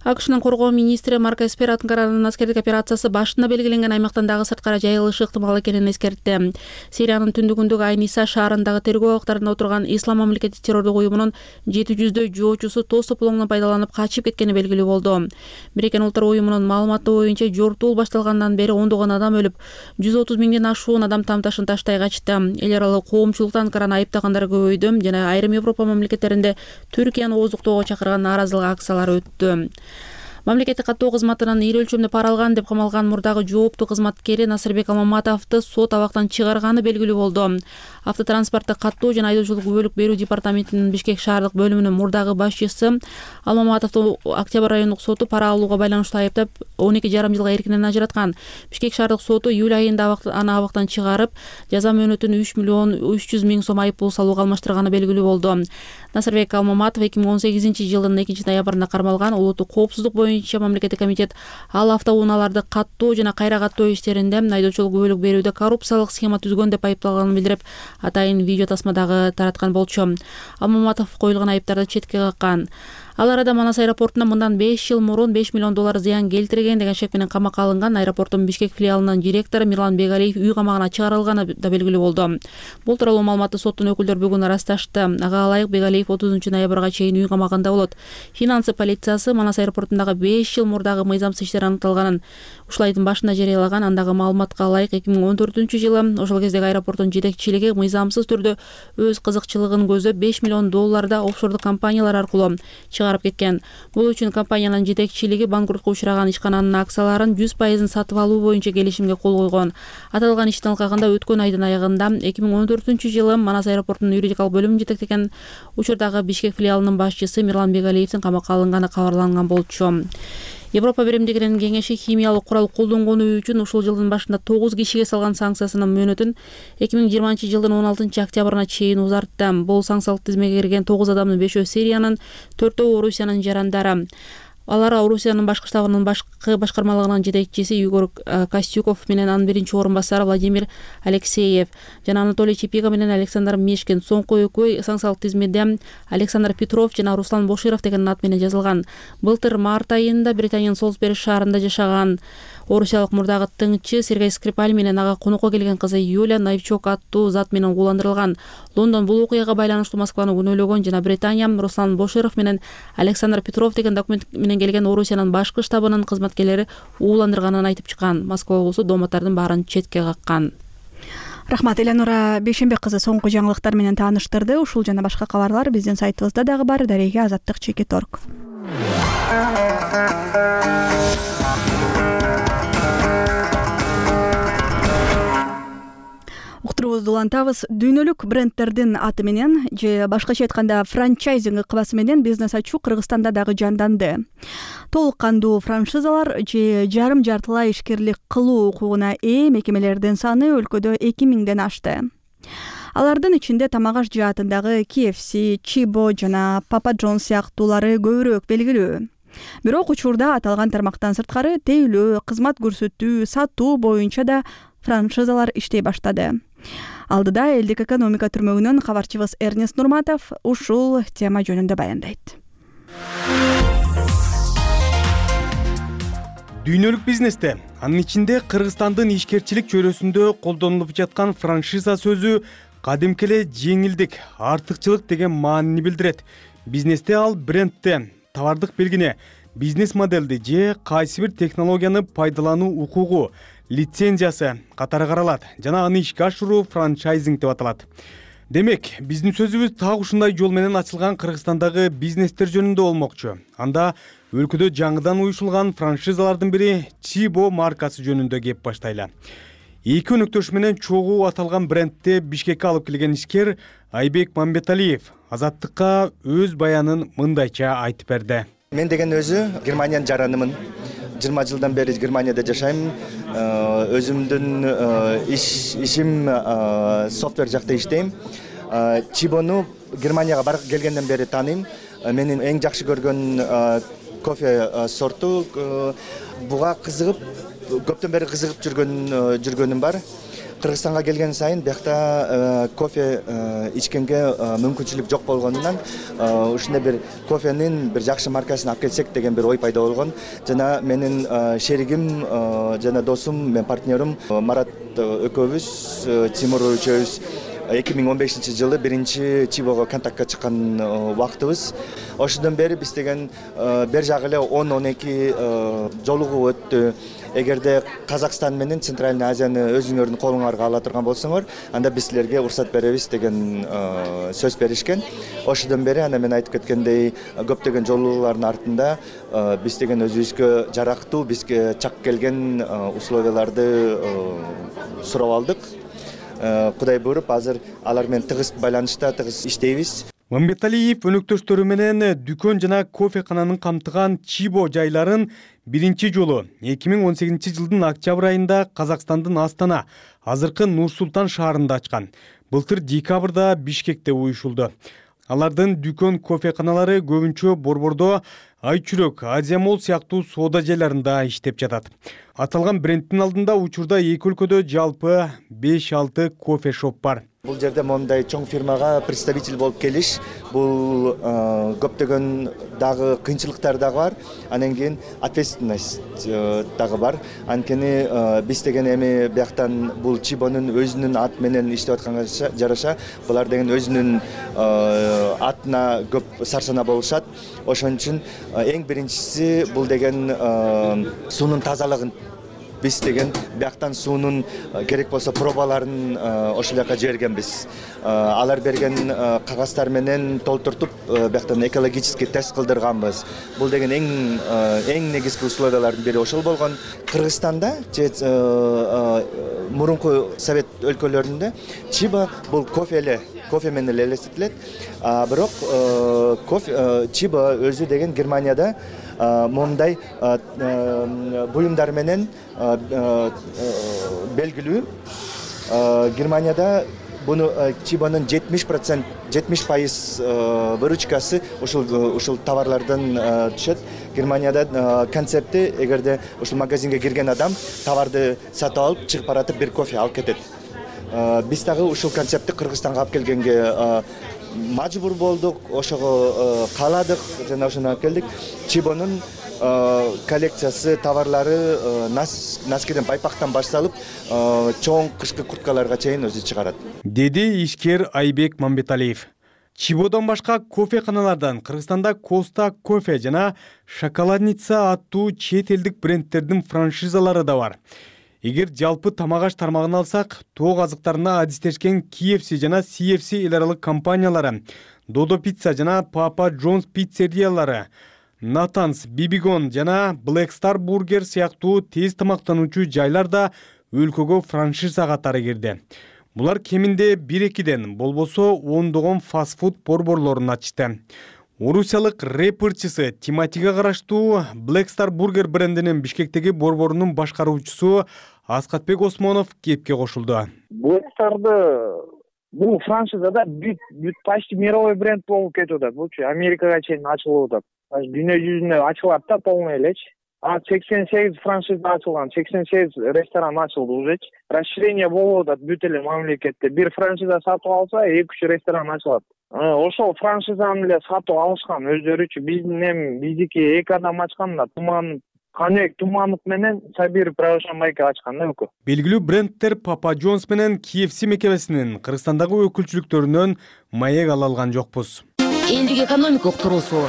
АКШнын коргоо министри Марко Эспер Анкаранын аскердик операциясы башында белгиленген аймактан дагы сырткара жайылышы ыктымал экенин эскертти. Сириянын түндүгүндөгү Айниса шаарындагы тергөө абактарында отурган Ислам мамлекети террордук уюмунун жети жүздөй жоочусу тоз тополоңдон пайдаланып качып кеткени белгилүү болду. Бириккен Улуттар уюмунун маалыматы боюнча жортуул башталгандан бери ондогон адам өлүп, жүз отуз миңден ашуун адам тамташын таштай качты. Эл аралык коомчулукта Анкараны айыптагандар көбөйдү жана айрым Европа мамлекеттеринде Түркияны ооздуктоого чакырган нааразылык акциялары өттү. Мамлекеттик каттоо кызматынан ири өлчөмдө пара алган деп камалган мурдагы жооптуу кызматкери Насырбек Алмаматовду сот абактан чыгарганы белгилүү болду. Автотранспортту каттоо жана айдоочулук бөлүк берүү департаментинин Бишкек шаардык бөлүмүнүн мурдагы башчысы Алмаматовду Октябрь райондук соту пара алууга байланыштуу айыптап он эки жарым жылга эркинен ажыраткан. Бишкек шаардык соту июль айында аны абактан чыгарып, жаза мөөнөтүн үч миллион үч жүз миң сом айып пул салууга алмаштырганы белгилүү болду. Насырбек Алмаматов эки миң он сегизинчи жылдын экинчи ноябрында кармалган. Улуттук коопсуздук боюнча мамлекеттик комитет ал автоунааларды каттоо жана кайра каттоо иштеринде айдоочулук бөлүк берүүдө коррупциялык схема түзгөн деп айыпталганын билдирип, атайын видео тасмадагы тараткан болчу. Алмаматов коюлган айыптарды четке каккан. Ал арада Манас аэропортуна мындан беш жыл мурун беш миллион доллар зыян келтирген деген шек менен камакка алынган аэропорттун Бишкек филиалынын директору Мирлан Бегалиев үй камагына чыгарылганы да белгилүү болду. Бул тууралуу маалыматты соттун өкүлдөрү бүгүн ырасташты. Ага ылайык Бегалиев отузунчу ноябрга чейин үй камагында болот. Финансы полициясы Манас аэропортундагы беш жыл мурдагы мыйзамсыз иштер аныкталганын ушул айдын башында жарыялаган. Андагы маалыматка ылайык эки миң он төртүнчү жылы ошол кездеги аэропорттун жетекчилиги мыйзамсыз түрдө өз кызыкчылыгын көздөп беш миллион долларда офшордук компаниялар аркылуу чыгарып кеткен. Бул үчүн компаниянын жетекчилиги банкротко учураган ишкананын акцияларын жүз пайызын сатып алуу боюнча келишимге кол койгон. Аталган иштин алкагында өткөн айдын аягында эки миң он төртүнчү жылы Манас аэропортунун юридикалык бөлүмүн жетектеген учурдагы Бишкек филиалынын башчысы Мирлан Бегалиевдин камакка алынганы кабарланган болчу. Европа биримдигинин кеңеши химиялык курал колдонгону үчүн ушул жылдын башында тогуз кишиге салган санкциясынын мөөнөтүн эки миң жыйырманчы жылдын он алтынчы октябрына чейин узартты. Бул санкциялык тизмеге кирген тогуз адамдын бешөө Сириянын, төртөө Орусиянын жарандары. Алар Орусиянын башкы штабынын башкы башкармалыгынын жетекчиси Югор Костюков менен анын биринчи орун басары Владимир Алексеев жана Анатолий Чепига менен Александр Мешкин. Соңку экөө санкциялык тизмеде Александр Петров жана Руслан Боширов деген ат менен жазылган. Былтыр март айында Британиянын Солсбери шаарында жашаган орусиялык мурдагы тыңчы Сергей Скрипаль менен ага конокко келген кызы Юлия Найвчук аттуу зат менен ууландырылган. Лондон бул окуяга байланыштуу Москваны күнөөлөгөн жана Британия Руслан Боширов менен Александр Петров деген документ менен келген Орусиянын башкы штабынын кызматкерлери ууландырганын айтып чыккан. Москва облусу дооматтардын баарын четке каккан. Рахмат, Элеонора Бейшенбек кызы соңку жаңылыктар менен тааныштырды. Ушул жана башка кабарлар биздин сайтыбызда дагы бар. Дареге азаттык чекит точка орг. Уктуруубузду улантабыз. Дүйнөлүк брендтердин аты менен же башкача айтканда франчайзинг ыкмасы менен бизнес ачуу Кыргызстанда дагы жанданды. Толук кандуу франшизалар же жарым жартылай ишкерлик кылуу укугуна ээ мекемелердин саны өлкөдө эки миңден ашты. Алардын ичинде тамак аш жаатындагы K F C, Чибо жана Papa John's сыяктуулары көбүрөөк белгилүү. Бирок учурда аталган тармактан сырткары тейлөө, кызмат көрсөтүү, сатуу боюнча да франшизалар иштей баштады. Алдыда элдик экономика түрмөгүнөн кабарчыбыз Эрнест Нурматов ушул тема жөнүндө баяндайт. Дүйнөлүк бизнесте, анын ичинде Кыргызстандын ишкерчилик чөйрөсүндө колдонулуп жаткан франшиза сөзү кадимки эле жеңилдик, артыкчылык деген маанини билдирет. Бизнесте ал брендте, товардык белгине, бизнес модельди же кайсы бир технологияны пайдалануу укугу, лицензиясы катары каралат жана аны ишке ашыруу франчайзинг деп аталат. Демек, биздин сөзүбүз так ушундай жол менен ачылган Кыргызстандагы бизнестер жөнүндө болмокчу. Анда өлкөдө жаңыдан уюшулган франшизалардын бири Чибо маркасы жөнүндө кеп баштайлы. Эки өнөктөш менен чогуу аталган брендти Бишкекке алып келген ишкер Айбек Мамбеталиев Азаттыкка өз баянын мындайча айтып берди. Мен деген өзү Германиянын жаранымын. жыйырма жылдан бери Германияда жашайм. Өзүмдүн иш ишим софтвер жакта иштейм. Чибону Германияга барып келгенден бери тааныйм. Менин эң жакшы көргөн кофе сорту. Буга кызыгып, көптөн бери кызыгып жүргөн жүргөнүм бар. Кыргызстанга келген сайын биякта кофе ичкенге мүмкүнчүлүк жок болгондуктан ушундай бир кофенин бир жакшы маркасын алып келсек деген бир ой пайда болгон. Жана менин шеригим жана досум, мен партнерим Марат экөөбүз, Тимур үчөөбүз эки миң он бешинчи жылы биринчи Чибого контактка чыккан убактыбыз. Ошондон бери биз деген бер жагы эле он он эки жолугуу өттү. Эгерде Казакстан менен Центральный Азияны өзүңөрдүн колуңарга ала турган болсоңор, анда биз силерге уруксат беребиз деген сөз беришкен. Ошондон бери ана мен айтып кеткендей көптөгөн жолугуулардын артында биз деген өзүбүзгө жарактуу, бизге чак келген условияларды сурап алдык. Кудай буйруп, азыр алар менен тыгыз байланышта, тыгыз иштейбиз. Мамбеталиев өнөктөштөрү менен дүкөн жана кофекананын камтыган Чибо жайларын биринчи жолу эки миң он сегизинчи жылдын октябрь айында Казакстандын Астана, азыркы Нур-Султан шаарында ачкан. Былтыр декабрда Бишкекте уюшулду. Алардын дүкөн кофеканалары көбүнчө Борбордо, Айчүрөк, Азия Молл сыяктуу соода жайларында иштеп жатат. Аталган брендтин алдында учурда эки өлкөдө жалпы беш алты кофе шоп бар. Бул жерде мондай чоң фирмага представитель болуп келиш, бул көптөгөн дагы кыйынчылыктар дагы бар. Анан кийин ответственность дагы бар. Анткени биз деген эми бияктан бул Чибонун өзүнүн ат менен иштеп атканга жараша, булар деген өзүнүн атына көп сарсана болушат. Ошон үчүн эң биринчиси бул деген суунун тазалыгын биз деген бияктан суунун керек болсо пробаларын ошол жака жибергенбиз. Алар берген кагаздар менен толтуртуп бияктан экологический тест кылдырганбыз. Бул деген эң эң негизги условиялардын бири ошол болгон. Кыргызстанда же мурунку совет өлкөлөрүндө чиба бул кофе эле кофе менен эле элестетилет. Бирок кофе чиба өзү деген Германияда мондай буюмдар менен белгилүү. Германияда буну чибанын жетимиш процент жетимиш пайыз выручкасы ушул ушул товарлардан түшөт. Германияда концепти эгерде ушул магазинге кирген адам товарды сатып алып чыгып баратып бир кофе алып кетет. Биз дагы ушул концептти Кыргызстанга алып келгенге мажбур болдук, ошого кааладык жана ошону алып келдик. Чибонун коллекциясы, товарлары носкиден, байпактан башталып, чоң кышкы курткаларга чейин өзү чыгарат, деди ишкер Айбек Мамбеталиев. Чибодон башка кофеканалардан Кыргызстанда Коста кофе жана Шоколадница аттуу чет элдик брендтердин франшизалары да бар. Эгер жалпы тамак аш тармагын алсак, тоок азыктарына адистешкен кей эф си жана си эф си эл аралык компаниялары, Додо Пицца жана Папа Джонс пиццериялары, Натанс, Бибигон жана Black Star Burger сыяктуу тез тамактануучу жайлар да өлкөгө франшиза катары кирди. Булар кеминде бир-экиден, болбосо ондогон фастфуд борборлорун ачты. Орусиялык рэперчиси Тиматиге караштуу Black Star Burger брендинин Бишкектеги борборунун башкаруучусу Аскатбек Осмонов кепке кошулду. Black Star'ды бул франшизада бүт бүт почти мировой бренд болуп кетип атат. Булчу Америкага чейин ачылып атат. Дүйнө жүзүнө ачылат да полный элечи. А сексен сегиз франшиза ачылган, сексен сегиз ресторан ачылды уже. Расширение болуп атат бүт эле мамлекетте. Бир франшиза сатып алса, эки үч ресторан ачылат. Ошол франшизаны эле сатып алышкан өздөрүчү. Биздин эми биздики эки адам ачкан да, Туман Канек Туманов менен Сабир Правошамайка ачкан да өлкө. Белгилүү брендтер Папа Джонс менен кей эф си мекемесинин Кыргызстандагы өкүлчүлүктөрүнөн маек ала алган жокпуз. Элдик экономикалык туруусу.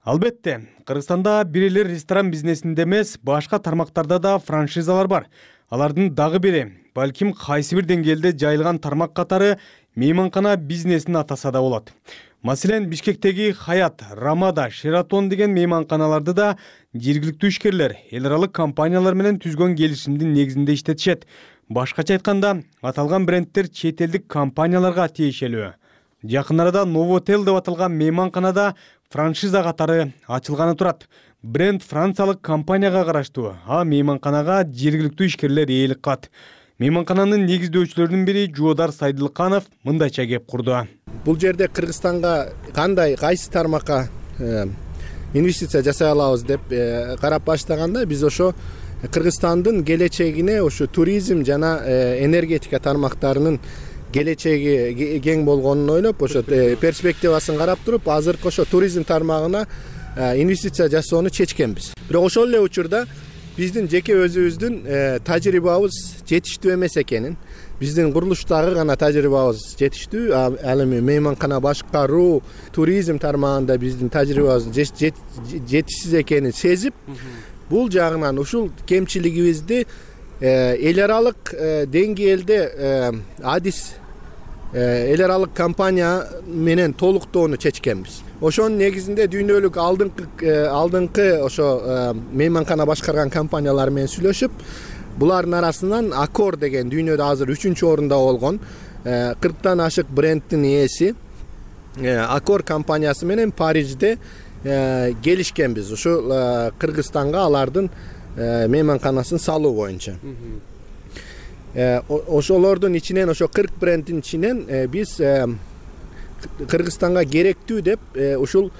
Албетте, Кыргызстанда бир эле ресторан бизнесинде эмес, башка тармактарда да франшизалар бар. Алардын дагы бири, балким кайсы бир деңгээлде жайылган тармак катары мейманкана бизнесин атаса да болот. Маселен, Бишкектеги Хаят, Рамада, Шератон деген мейманканаларды да жергиликтүү ишкерлер эл аралык компаниялар менен түзгөн келишимдин негизинде иштетишет. Башкача айтканда, аталган брендтер чет элдик компанияларга тиешелүү. Жакын арада Новотел деп аталган мейманканада франшиза катары ачылганы турат. Бренд франциялык компанияга караштуу, а мейманканага жергиликтүү ишкерлер ээлик кылат. Мейманкананын негиздөөчүлөрүнүн бири Жуудар Сайдылканов мындайча кеп курду. Бул жерде Кыргызстанга кандай, кайсы тармакка инвестиция жасай алабыз деп карап баштаганда, биз ошо Кыргызстандын келечегине ошо туризм жана энергетика тармактарынын келечеги кең болгонун ойлоп, ошо перспективасын карап туруп, азыркы ошо туризм тармагына инвестиция жасоону чечкенбиз. Бирок ошол эле учурда биздин жеке өзүбүздүн тажрыйбабыз жетиштүү эмес экенин, биздин курулуштагы гана тажрыйбабыз жетиштүү, ал эми мейманкана башкаруу, туризм тармагында биздин тажрыйбабыз жетишсиз экенин сезип, бул жагынан ушул кемчилигибизди эл аралык деңгээлде адис эл аралык компания менен толуктоону чечкенбиз. Ошонун негизинде дүйнөлүк алдыңкы алдыңкы ошо мейманкана башкарган компаниялар менен сүйлөшүп, булардын арасынан Аккор деген дүйнөдө азыр үчүнчү орунда болгон кырктан ашык брендтин ээси Аккор компаниясы менен Парижде келишкенбиз. Ушул Кыргызстанга алардын мейманканасын салуу боюнча. Ошолордун ичинен, ошо кырк брендтин ичинен биз Кыргызстанга керектүү деп ушул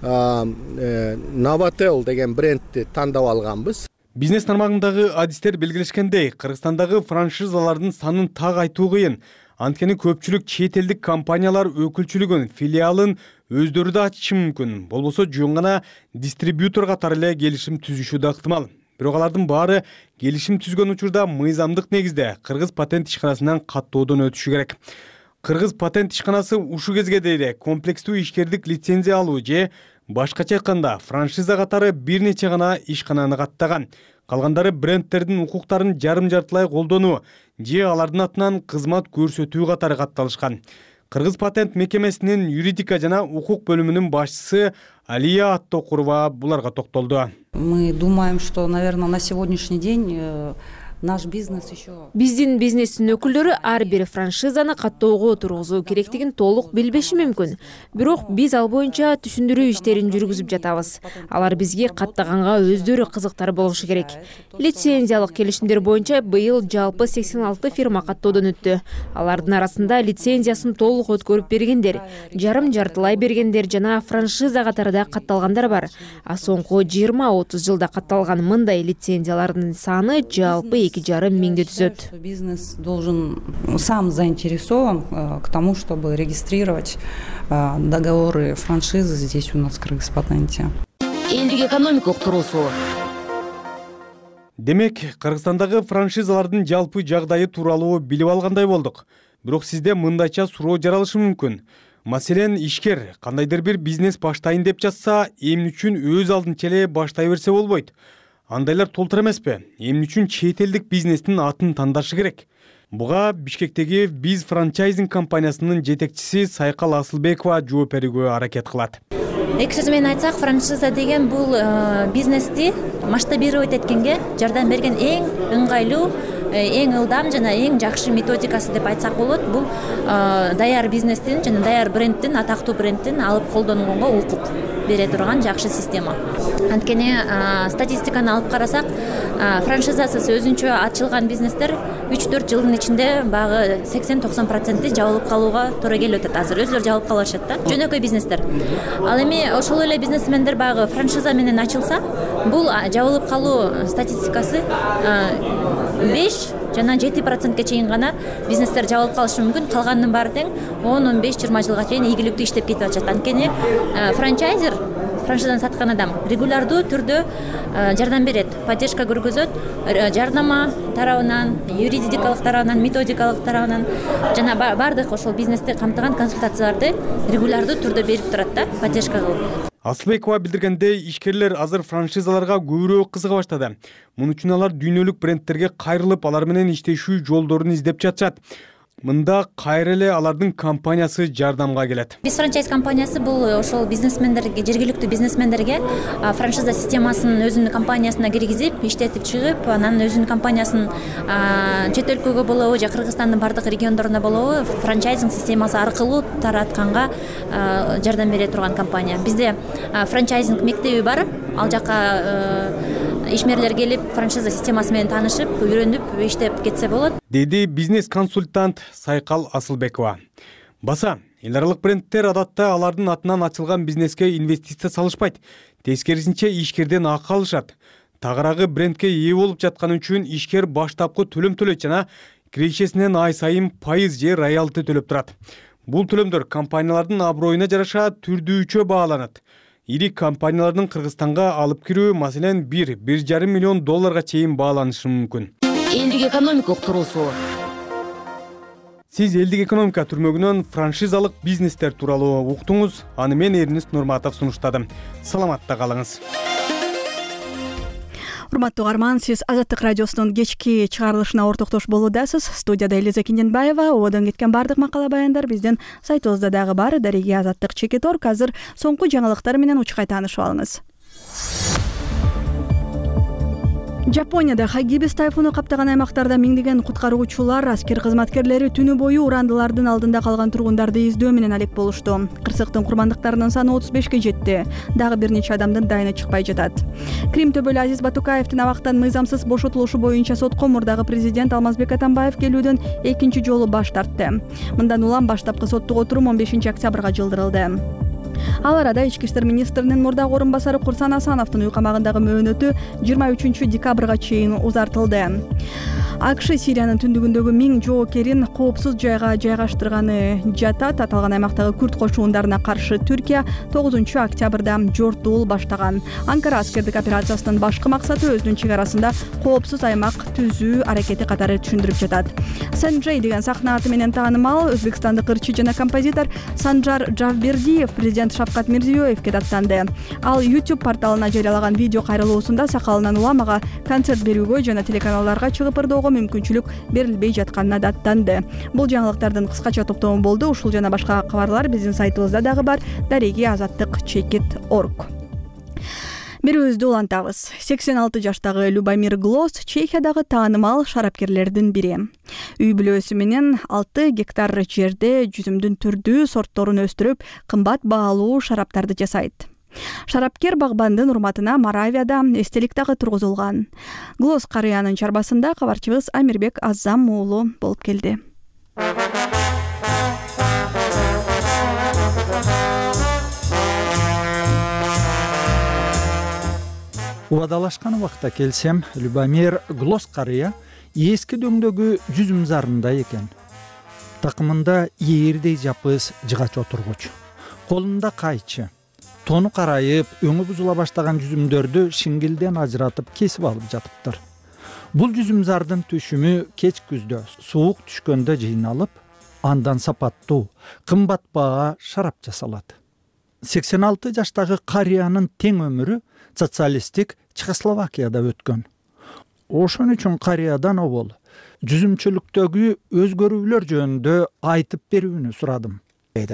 Новотел деген брендти тандап алганбыз. Бизнес тармагындагы адистер белгилешкендей, Кыргызстандагы франшизалардын санын так айтуу кыйын. Анткени көпчүлүк чет элдик компаниялар өкүлчүлүгүн, филиалын өздөрү да ачышы мүмкүн. Болбосо жөн гана дистрибьютор катары эле келишим түзүшү да ыктымал. Бирок алардын баары келишим түзгөн учурда мыйзамдык негизде Кыргыз патент ишканасынан каттоодон өтүшү керек. Кыргыз патент ишканасы ушул кезге дейре комплекстүү ишкердик лицензия алуу же башкача айтканда франшиза катары бир нече гана ишкананы каттаган. калгандары брендтердин укуктарын жарым жартылай колдонуу же алардын атынан кызмат көрсөтүү катары катталышкан. Кыргыз патент мекемесинин юридика жана укук бөлүмүнүн башчысы Алия Аттокурова буларга токтолду. Мы думаем, что, наверное, на сегодняшний день наш бизнес еще... Биздин бизнестин өкүлдөрү ар бир франшизаны каттоого тургузуу керектигин толук билбеши мүмкүн. Бирок биз ал боюнча түшүндүрүү иштерин жүргүзүп жатабыз. Алар бизге каттаганга өздөрү кызыктар болушу керек. Лицензиялык келишимдер боюнча быйыл жалпы сексен алты фирма каттоодон өттү. Алардын арасында лицензиясын толук өткөрүп бергендер, жарым жартылай бергендер жана франшиза катарында катталгандар бар. А соңку жыйырма отуз жылда катталган мындай лицензиялардын саны жалпы эки жарым миңди түзөт. Бизнес должен сам заинтересован к тому, чтобы регистрировать договоры франшизы здесь у нас в Кыргызпатенте. Элдик экономикалык туруусу. Демек, Кыргызстандагы франшизалардын жалпы жагдайы тууралуу билип алгандай болдук. Бирок сизде мындайча суроо жаралышы мүмкүн. Маселен, ишкер кандайдыр бир бизнес баштайын деп жатса, эмне үчүн өз алдынча эле баштай берсе болбойт? Андайлар толтур эмеспи? Эмне үчүн чет элдик бизнестин атын тандашы керек? Буга Бишкектеги Биз франчайзинг компаниясынын жетекчиси Сайкал Асылбекова жооп берүүгө аракет кылат. Эки сөз менен айтсак, франшиза деген бул бизнести масштабировать эткенге жардам берген эң ыңгайлуу, эң ылдам жана эң жакшы методикасы деп айтсак болот. Бул даяр бизнестин жана даяр брендтин, атактуу брендтин алып колдонгонго укук бере турган жакшы система. Анткени статистиканы алып карасак, франшизасыз өзүнчө ачылган бизнестер үч төрт жылдын ичинде багы сексен токсон проценти жабылып калууга туура келип атат. Азыр өзүлөрү жабылып калышат да. Жөнөкөй бизнестер. Ал эми ошол эле бизнесмендер багы франшиза менен ачылса, бул жабылып калуу статистикасы беш жана жети процентке чейин гана бизнестер жабылып калышы мүмкүн. Калганынын баары тең он он беш жыйырма жылга чейин ийгиликтүү иштеп кетип атышат. Анткени франчайзер, франшизаны саткан адам регулярдуу түрдө жардам берет, поддержка көргөзөт, жардама тарабынан, юридикалык тарабынан, методикалык тарабынан жана бардык ошол бизнести камтыган консультацияларды регулярдуу түрдө берип турат да, поддержка кылып. Асылбекова билдиргендей, ишкерлер азыр франшизаларга көбүрөөк кызыга баштады. Муну үчүн алар дүйнөлүк брендтерге кайрылып, алар менен иштешүү жолдорун издеп жатышат. Мында кайра эле алардын компаниясы жардамга келет. Биз франчайз компаниясы бул ошол бизнесмендерге, жергиликтүү бизнесмендерге франшиза системасын өзүнүн компаниясына киргизип, иштетип чыгып, анан өзүнүн компаниясын чет өлкөгө болобу, же Кыргызстандын бардык региондоруна болобу франчайзинг системасы аркылуу таратканга жардам бере турган компания. Бизде франчайзинг мектеби бар. Ал жака ишмерлер келип, франшиза системасы менен таанышып, үйрөнүп, иштеп кетсе болот, деди бизнес-консультант Сайкал Асылбекова. Баса, эл аралык брендтер адатта алардын атынан ачылган бизнеске инвестиция салышпайт. Тескерисинче ишкерден акы алышат. Тагыраагы брендке ээ болуп жатканы үчүн ишкер баштапкы төлөм төлөйт жана кирешесинен ай сайын пайыз же роялти төлөп турат. Бул төлөмдөр компаниялардын аброюна жараша түрдүүчө бааланат. Ири компаниялардын Кыргызстанга алып кирүү, маселен, бир бир жарым миллион долларга чейин бааланышы мүмкүн. Элдик экономикалык туруусу. Сиз элдик экономика түрмөгүнөн франшизалык бизнестер тууралуу уктуңуз. Аны мен Эрнест Нурматов сунуштадым. Саламатта калыңыз. Урматтуу угарман, сиз Азаттык радиосунун кечки чыгарылышына ортоктош болуудасыз. Студияда Элиза Кинденбаева. Ободон кеткен бардык макала баяндар биздин сайтыбызда дагы бар. Дареги Азаттык чекит орг. Азыр соңку жаңылыктар менен учкай таанышып алыңыз. Жапонияда Хагибис тайфуну каптаган аймактарда миңдеген куткаруучулар, аскер кызматкерлери түнү бою урандылардын алдында калган тургундарды издөө менен алек болушту. Кырсыктын курмандыктарынын саны отуз бешке жетти. Дагы бир нече адамдын дайыны чыкпай жатат. Крим төбөлү Азиз Батукаевдин абактан мыйзамсыз бошотулушу боюнча сотко мурдагы президент Алмазбек Атамбаев келүүдөн экинчи жолу баш тартты. Мындан улам баштапкы соттук отурум он бешинчи октябрга жылдырылды. Ал арада ички иштер министринин мурдагы орун басары Курсан Асановдун үй камагындагы мөөнөтү жыйырма үчүнчү декабрга чейин узартылды. АКШ Сириянын түндүгүндөгү миң жоокерин коопсуз жайга жайгаштырганы жатат. Аталган аймактагы күрд кошундарына каршы Түркия тогузунчу октябрда жортуул баштаган. Анкара аскердик операциясынын башкы максаты өзүнүн чек арасында коопсуз аймак түзүү аракети катары түшүндүрүп жатат. Санджей деген сахна аты менен таанымал өзбекстандык ырчы жана композитор Санжар Жавбердиев президент президент Шавкат Мирзиёевке даттанды. Ал YouTube порталына жарыялаган видео кайрылуусунда сакалынан уламага концерт берүүгө жана телеканалдарга чыгып ырдоого мүмкүнчүлүк берилбей жатканына даттанды. Бул жаңылыктардын кыскача топтому болду. Ушул жана башка кабарлар биздин сайтыбызда дагы бар. Дареги азаттык чекит орг. Берүүбүздү улантабыз. сексен алты жаштагы Любомир Глос Чехиядагы таанымал шарапкерлердин бири. Үй бүлөсү менен алты гектар жерде жүзүмдүн түрдүү сортторун өстүрүп, кымбат баалуу шараптарды жасайт. Шарапкер багбандын урматына Моравияда эстелик дагы тургузулган. Глос карыянын чарбасында кабарчыбыз Амирбек Аззам уулу болуп келди. Убадалашкан убакта келсем, Любомир Глос карыя эски дөңдөгү жүзүм зарында экен. Такымында ээрдей жапыс жыгач отургуч, колунда кайчы. Тону карайып, өңү бузула баштаган жүзүмдөрдү шиңгилден ажыратып кесип алып жатыптыр. Бул жүзүм зардын түшүмү кеч күздө суук түшкөндө жыйналып, андан сапаттуу, кымбат баа шарап жасалат. сексен алты жаштагы карыянын тең өмүрү социалисттик Чехословакияда өткөн. Ошон үчүн карыядан обол жүзүмчүлүктөгү өзгөрүүлөр жөнүндө айтып берүүнү сурадым. Бизде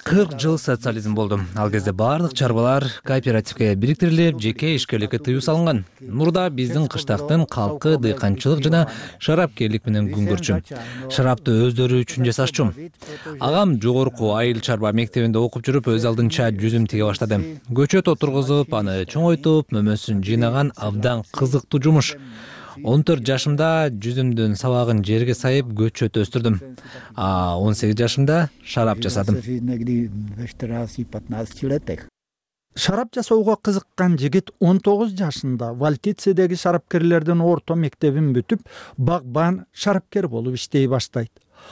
кырк жыл социализм болду. Ал кезде баардык чарбалар кооперативге бириктирилип, жеке ишкерликке тыюу салынган. Мурда биздин кыштактын калкы дыйканчылык жана шарапкерлик менен күн көрчү. Шарапты өздөрү үчүн жасашчу. Агам жогорку айыл чарба мектебинде окуп жүрүп, өз алдынча жүзүм тиге баштады. Көчөт отургузуп, аны чоңойтуп, мөмөсүн жыйнаган абдан кызыктуу жумуш. он төрт жашымда жүзүмдүн сабагын жерге сайып көчөт өстүрдүм. А он сегиз жашымда шарап жасадым. Шарап жасоого кызыккан жигит он тогуз жашында Валтицедеги шарапкерлердин орто мектебин бүтүп, багбан шарапкер болуп иштей баштайт.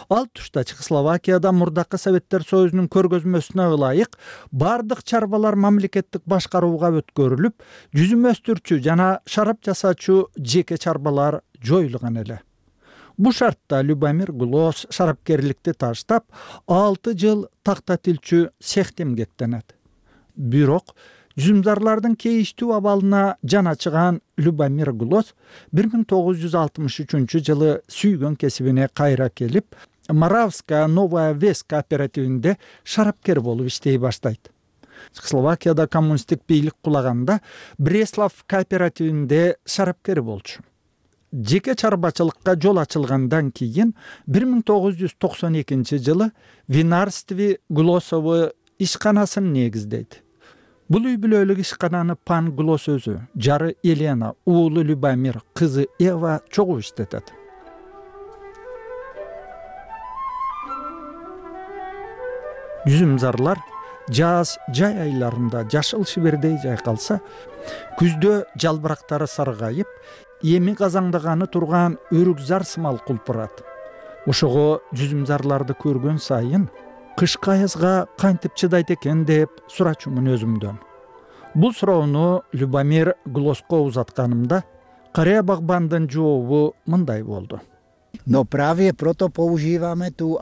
Ал тушта Чехословакияда мурдакы Советтер Союзунун көргөзмөсүнө ылайык бардык чарбалар мамлекеттик башкарууга өткөрүлүп, жүзүм өстүрчү жана шарап жасаачу жеке чарбалар жоюлган эле. Бу шартта Любомир Глос шарапкерликти таштап, алты жыл такта тилчү цехте эмгектенет. Бирок жүзүмзарлардын кейиштүү абалына жан ачыган Любомир Глос бир миң тогуз жүз алтымыш үчүнчү жылы сүйгөн кесибине кайра келип, Моравская Новая Вес кооперативинде шарапкер болуп иштей баштайт. Чехословакияда коммунисттик бийлик кулаганда Бреслав кооперативинде шарапкер болчу. Жеке чарбачылыкка жол ачылгандан кийин бир миң тогуз жүз токсон экинчи жылы Винарстве Глосовы ишканасын негиздейт. Бул үй бүлөлүк ишкананы Пан Глос өзү, жары Елена, уулу Любомир, кызы Эва чогуу иштетет. Жүзүмзарлар жаз жай айларында жашыл шибердей жайкалса, күздө жалбырактары саргайып, эми казаңдаганы турган өрүкзар сымал кулпурат. Ошого жүзүмзарларды көргөн сайын кышкы аязга кантип чыдайт экен деп сурачумун өзүмдөн. Бул суроону Любомир Глоско узатканымда карыя багбандын жообу мындай болду.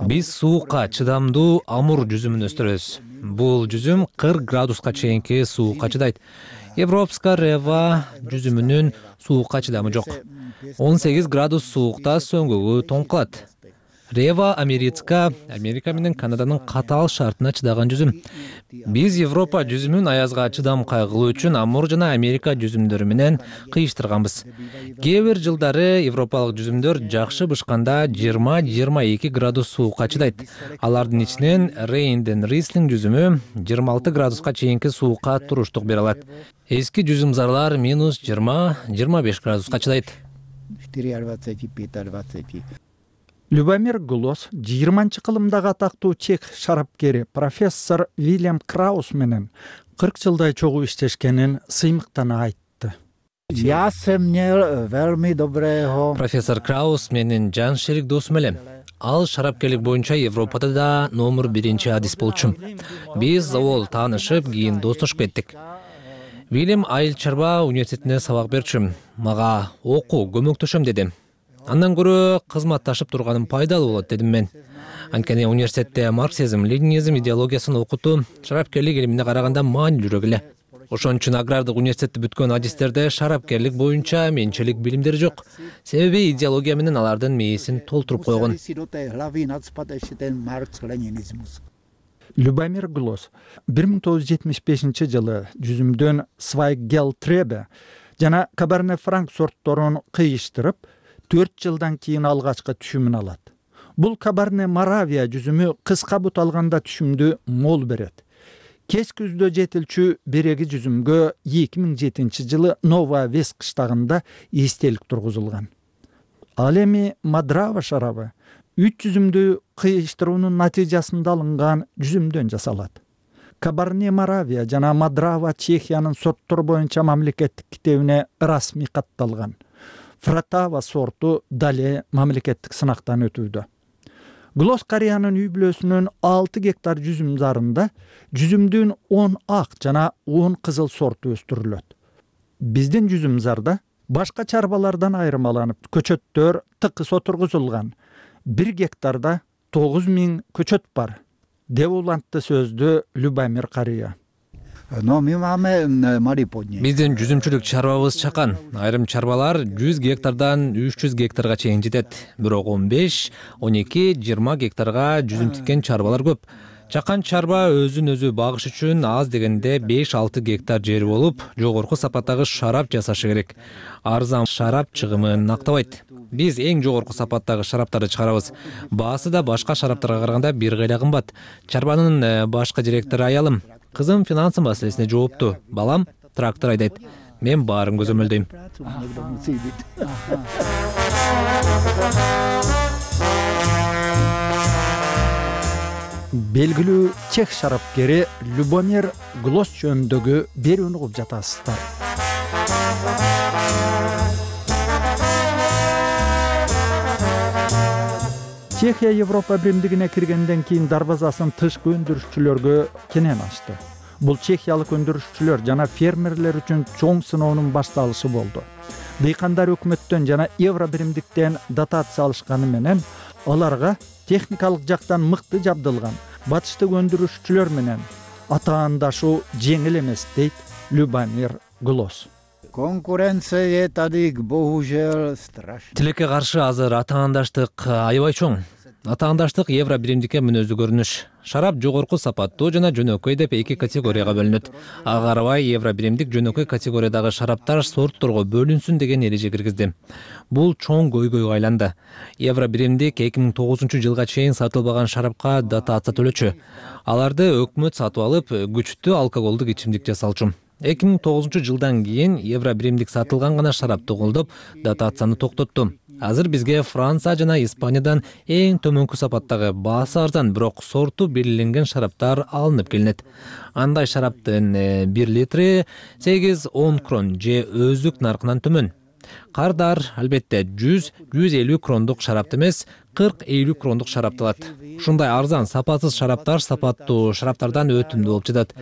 Биз суукка чыдамдуу амур жүзүмүн өстүрөбүз. Бул жүзүм кырк градуска чейинки суукка чыдайт. Европска рева жүзүмүнүн суукка чыдамы жок. он сегиз градус суукта сөңгөгү тоң кылат. Рева Америцка, Америка менен Канаданын катаал шартына чыдаган жүзүм. Биз Европа жүзүмүн аязга чыдам кайгылуу үчүн амур жана Америка жүзүмдөрү менен кыйыштырганбыз. Кээ бир жылдары европалык жүзүмдөр жакшы бышканда жыйырма жыйырма эки градус суукка чыдайт. Алардын ичинен Рейнден Рислинг жүзүмү жыйырма алты градуска чейинки суукка туруштук бере алат. Эски жүзүмзарлар минус жыйырма жыйырма беш градуска чыдайт. Любомир Глос жыйырманчы кылымдагы атактуу чех шарапкери профессор Вильям Краус менен кырк жылдай чогуу иштешкенин сыймыктана айтты. Профессор Краус менин жан шерик досум эле. Ал шарапкерлик боюнча Европада да номер биринчи адис болчу. Биз завол таанышып, кийин достошуп кеттик. Вильям айыл чарба университетинде сабак берчү. Мага окуу көмөктөшөм деди. Андан көрө кызматташып турганым пайдалуу болот дедим мен. Анткени университетте марксизм, ленинизм идеологиясын окутуу шарапкерлик илимине караганда маанилүүрөөк эле. Ошон үчүн агрардык университетти бүткөн адистерде шарапкерлик боюнча менчилик билимдери жок. Себеби идеология менен алардын мээсин толтуруп койгон. Любомир Глос бир миң тогуз жүз жетимиш бешинчи жылы жүзүмдөн Свайгелтребе жана Кабарне Франк сортторун кыйыштырып, төрт жылдан кийин алгачкы түшүмүн алат. Бул Кабарне Моравия жүзүмү кыска бут алганда түшүмдү мол берет. Кеч күздө жетилчү береги жүзүмгө эки миң жетинчи жылы Нова Вес кыштагында эстелик тургузулган. Ал эми Мадрава шарабы үч жүзүмдү кыйыштыруунун натыйжасында алынган жүзүмдөн жасалат. Кабарне Моравия жана Мадрава Чехиянын сорттор боюнча мамлекеттик китебине расмий катталган. Фратава сорту дале мамлекеттик сынактан өтүүдө. Глос Кореянын үй бүлөсүнүн алты гектар жүзүм зарында жүзүмдүн он ак жана он кызыл сорту өстүрүлөт. Биздин жүзүм зарда башка чарбалардан айырмаланып, көчөттөр тыкыс отургузулган. бир гектарда тогуз миң көчөт бар, деп улантты сөздү Любомир Кария. Биздин жүзүмчүлүк чарбабыз чакан. Айрым чарбалар жүз гектардан үч жүз гектарга чейин жетет. Бирок он беш, он эки, жыйырма гектарга жүзүм тиккен чарбалар көп. Чакан чарба өзүн өзү багыш үчүн аз дегенде беш алты гектар жери болуп, жогорку сапаттагы шарап жасашы керек. Арзан шарап чыгымын актабайт. Биз эң жогорку сапаттагы шараптарды чыгарабыз. Баасы да башка шараптарга караганда бир кайда кымбат. Чарбанын башкы директору аялым. Кызым финансы маселесине жоопту. Балам трактор айдайт. Мен баарын көзөмөлдөйм. Белгилүү чех шарапкери Любомир Глос жөнүндөгү берүүнү угуп жатасыздар. Чехия Европа биримдигине киргенден кийин дарбазасын тышкы өндүрүшчүлөргө кенен ачты. Бул чехиялык өндүрүшчүлөр жана фермерлер үчүн чоң сыноонун башталышы болду. Дыйкандар өкмөттөн жана евро биримдиктен дотация алышканы менен аларга техникалык жактан мыкты жабдылган батыштык өндүрүшчүлөр менен атаандашуу жеңил эмес, дейт Любомир Глос. Конкуренция тадик боужел страшно. Тилекке каршы азыр атаандаштык аябай чоң. Атаандаштык евро биримдикке мүнөздүү көрүнүш. Шарап жогорку сапаттуу жана жөнөкөй деп эки категорияга бөлүнөт. Ага карабай евро биримдик жөнөкөй категориядагы шараптар сортторго бөлүнсүн деген эреже киргизди. Бул чоң көйгөйгө айланды. Евро биримдик эки миң тогузунчу жылга чейин сатылбаган шарапка дотация төлөчү. Аларды өкмөт сатып алып, күчтүү алкоголдук ичимдик жасалчу. эки миң тогузунчу жылдан кийин евро биримдик сатылган гана шарапты колдоп, дотацияны токтотту. Азыр бизге Франция жана Испаниядан эң төмөнкү сапаттагы баасы арзан, бирок сорту белгиленген шараптар алынып келинет. Андай шараптын бир литри сегиз он крон же өздүк наркынан төмөн. Кардар албетте жүз жүз элүү крондук шарапты эмес, кырк элүү крондук шарапты алат. Ушундай арзан, сапатсыз шараптар сапаттуу шараптардан өтүмдүү болуп жатат.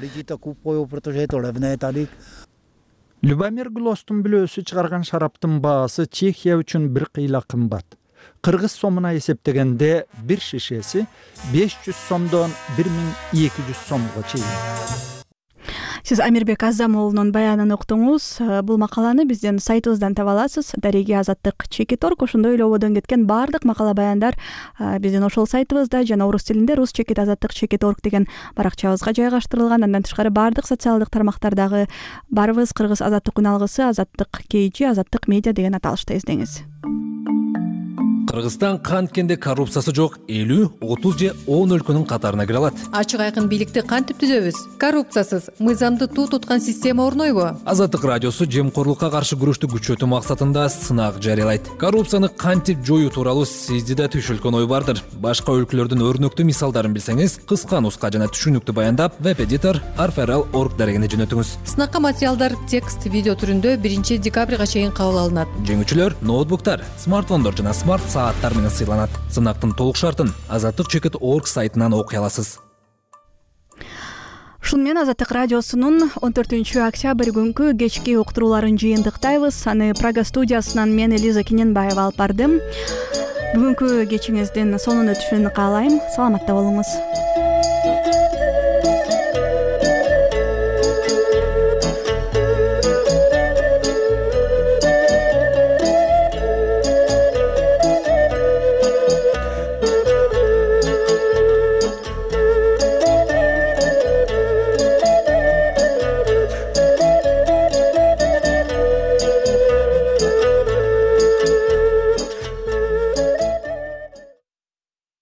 Любомир Глостун бүлөөсү чыгарган шараптын баасы Чехия үчүн бир кыйла кымбат. Кыргыз сомуна эсептегенде бир шишеси беш жүз сомдон бир миң эки жүз сомго чейин. Сиз Амирбек Азамуулунун баянын уктуңуз. Бул макаланы биздин сайтыбыздан таба аласыз. Дареги Азаттык чекит орг. Ошондой эле ободон кеткен баардык макала баяндар биздин ошол сайтыбызда жана орус тилинде рус чекит азаттык чекит орг деген баракчабызга жайгаштырылган. Андан тышкары баардык социалдык тармактардагы барыбыз кыргыз азаттык күн алгысы, азаттык кейжи, азаттык медиа деген аталышта издеңиз. Кыргызстан канткенде коррупциясы жок элүү, отуз же он өлкөнүн катарына кире алат. Ачык айкын бийликти кантип түзөбүз? Коррупциясыз, мыйзамды туу туткан система орнойбу? Азаттык радиосу жемкорлукка каршы күрөштү күчөтүү максатында сынак жарыялайт. Коррупцияны кантип жоюу тууралуу сизде да түшүлгөн ой бардыр. Башка өлкөлөрдүн өрнөктүү мисалдарын билсеңиз, кыска нуска жана түшүнүктүү баяндап, веб-эдитор арферал точка орг дарегине жөнөтүңүз. Сынакка материалдар текст, видео түрүндө биринчи декабрга чейин кабыл алынат. Жеңүүчүлөр ноутбуктар, смартфондор жана смарт сааттар менен сыйланат. Сынактын толук шартын азаттык чекит точка орг сайтынан окуй аласыз. ушуну менен Азаттык радиосунун он төртүнчү октябрь күнкү кечки уктурууларын жыйынтыктайбыз. Аны Прага студиясынан мен Элиза Кененбаева алып бардым. Бүгүнкү кечиңиздин сонун өтүшүн каалайм. Саламатта болуңуз.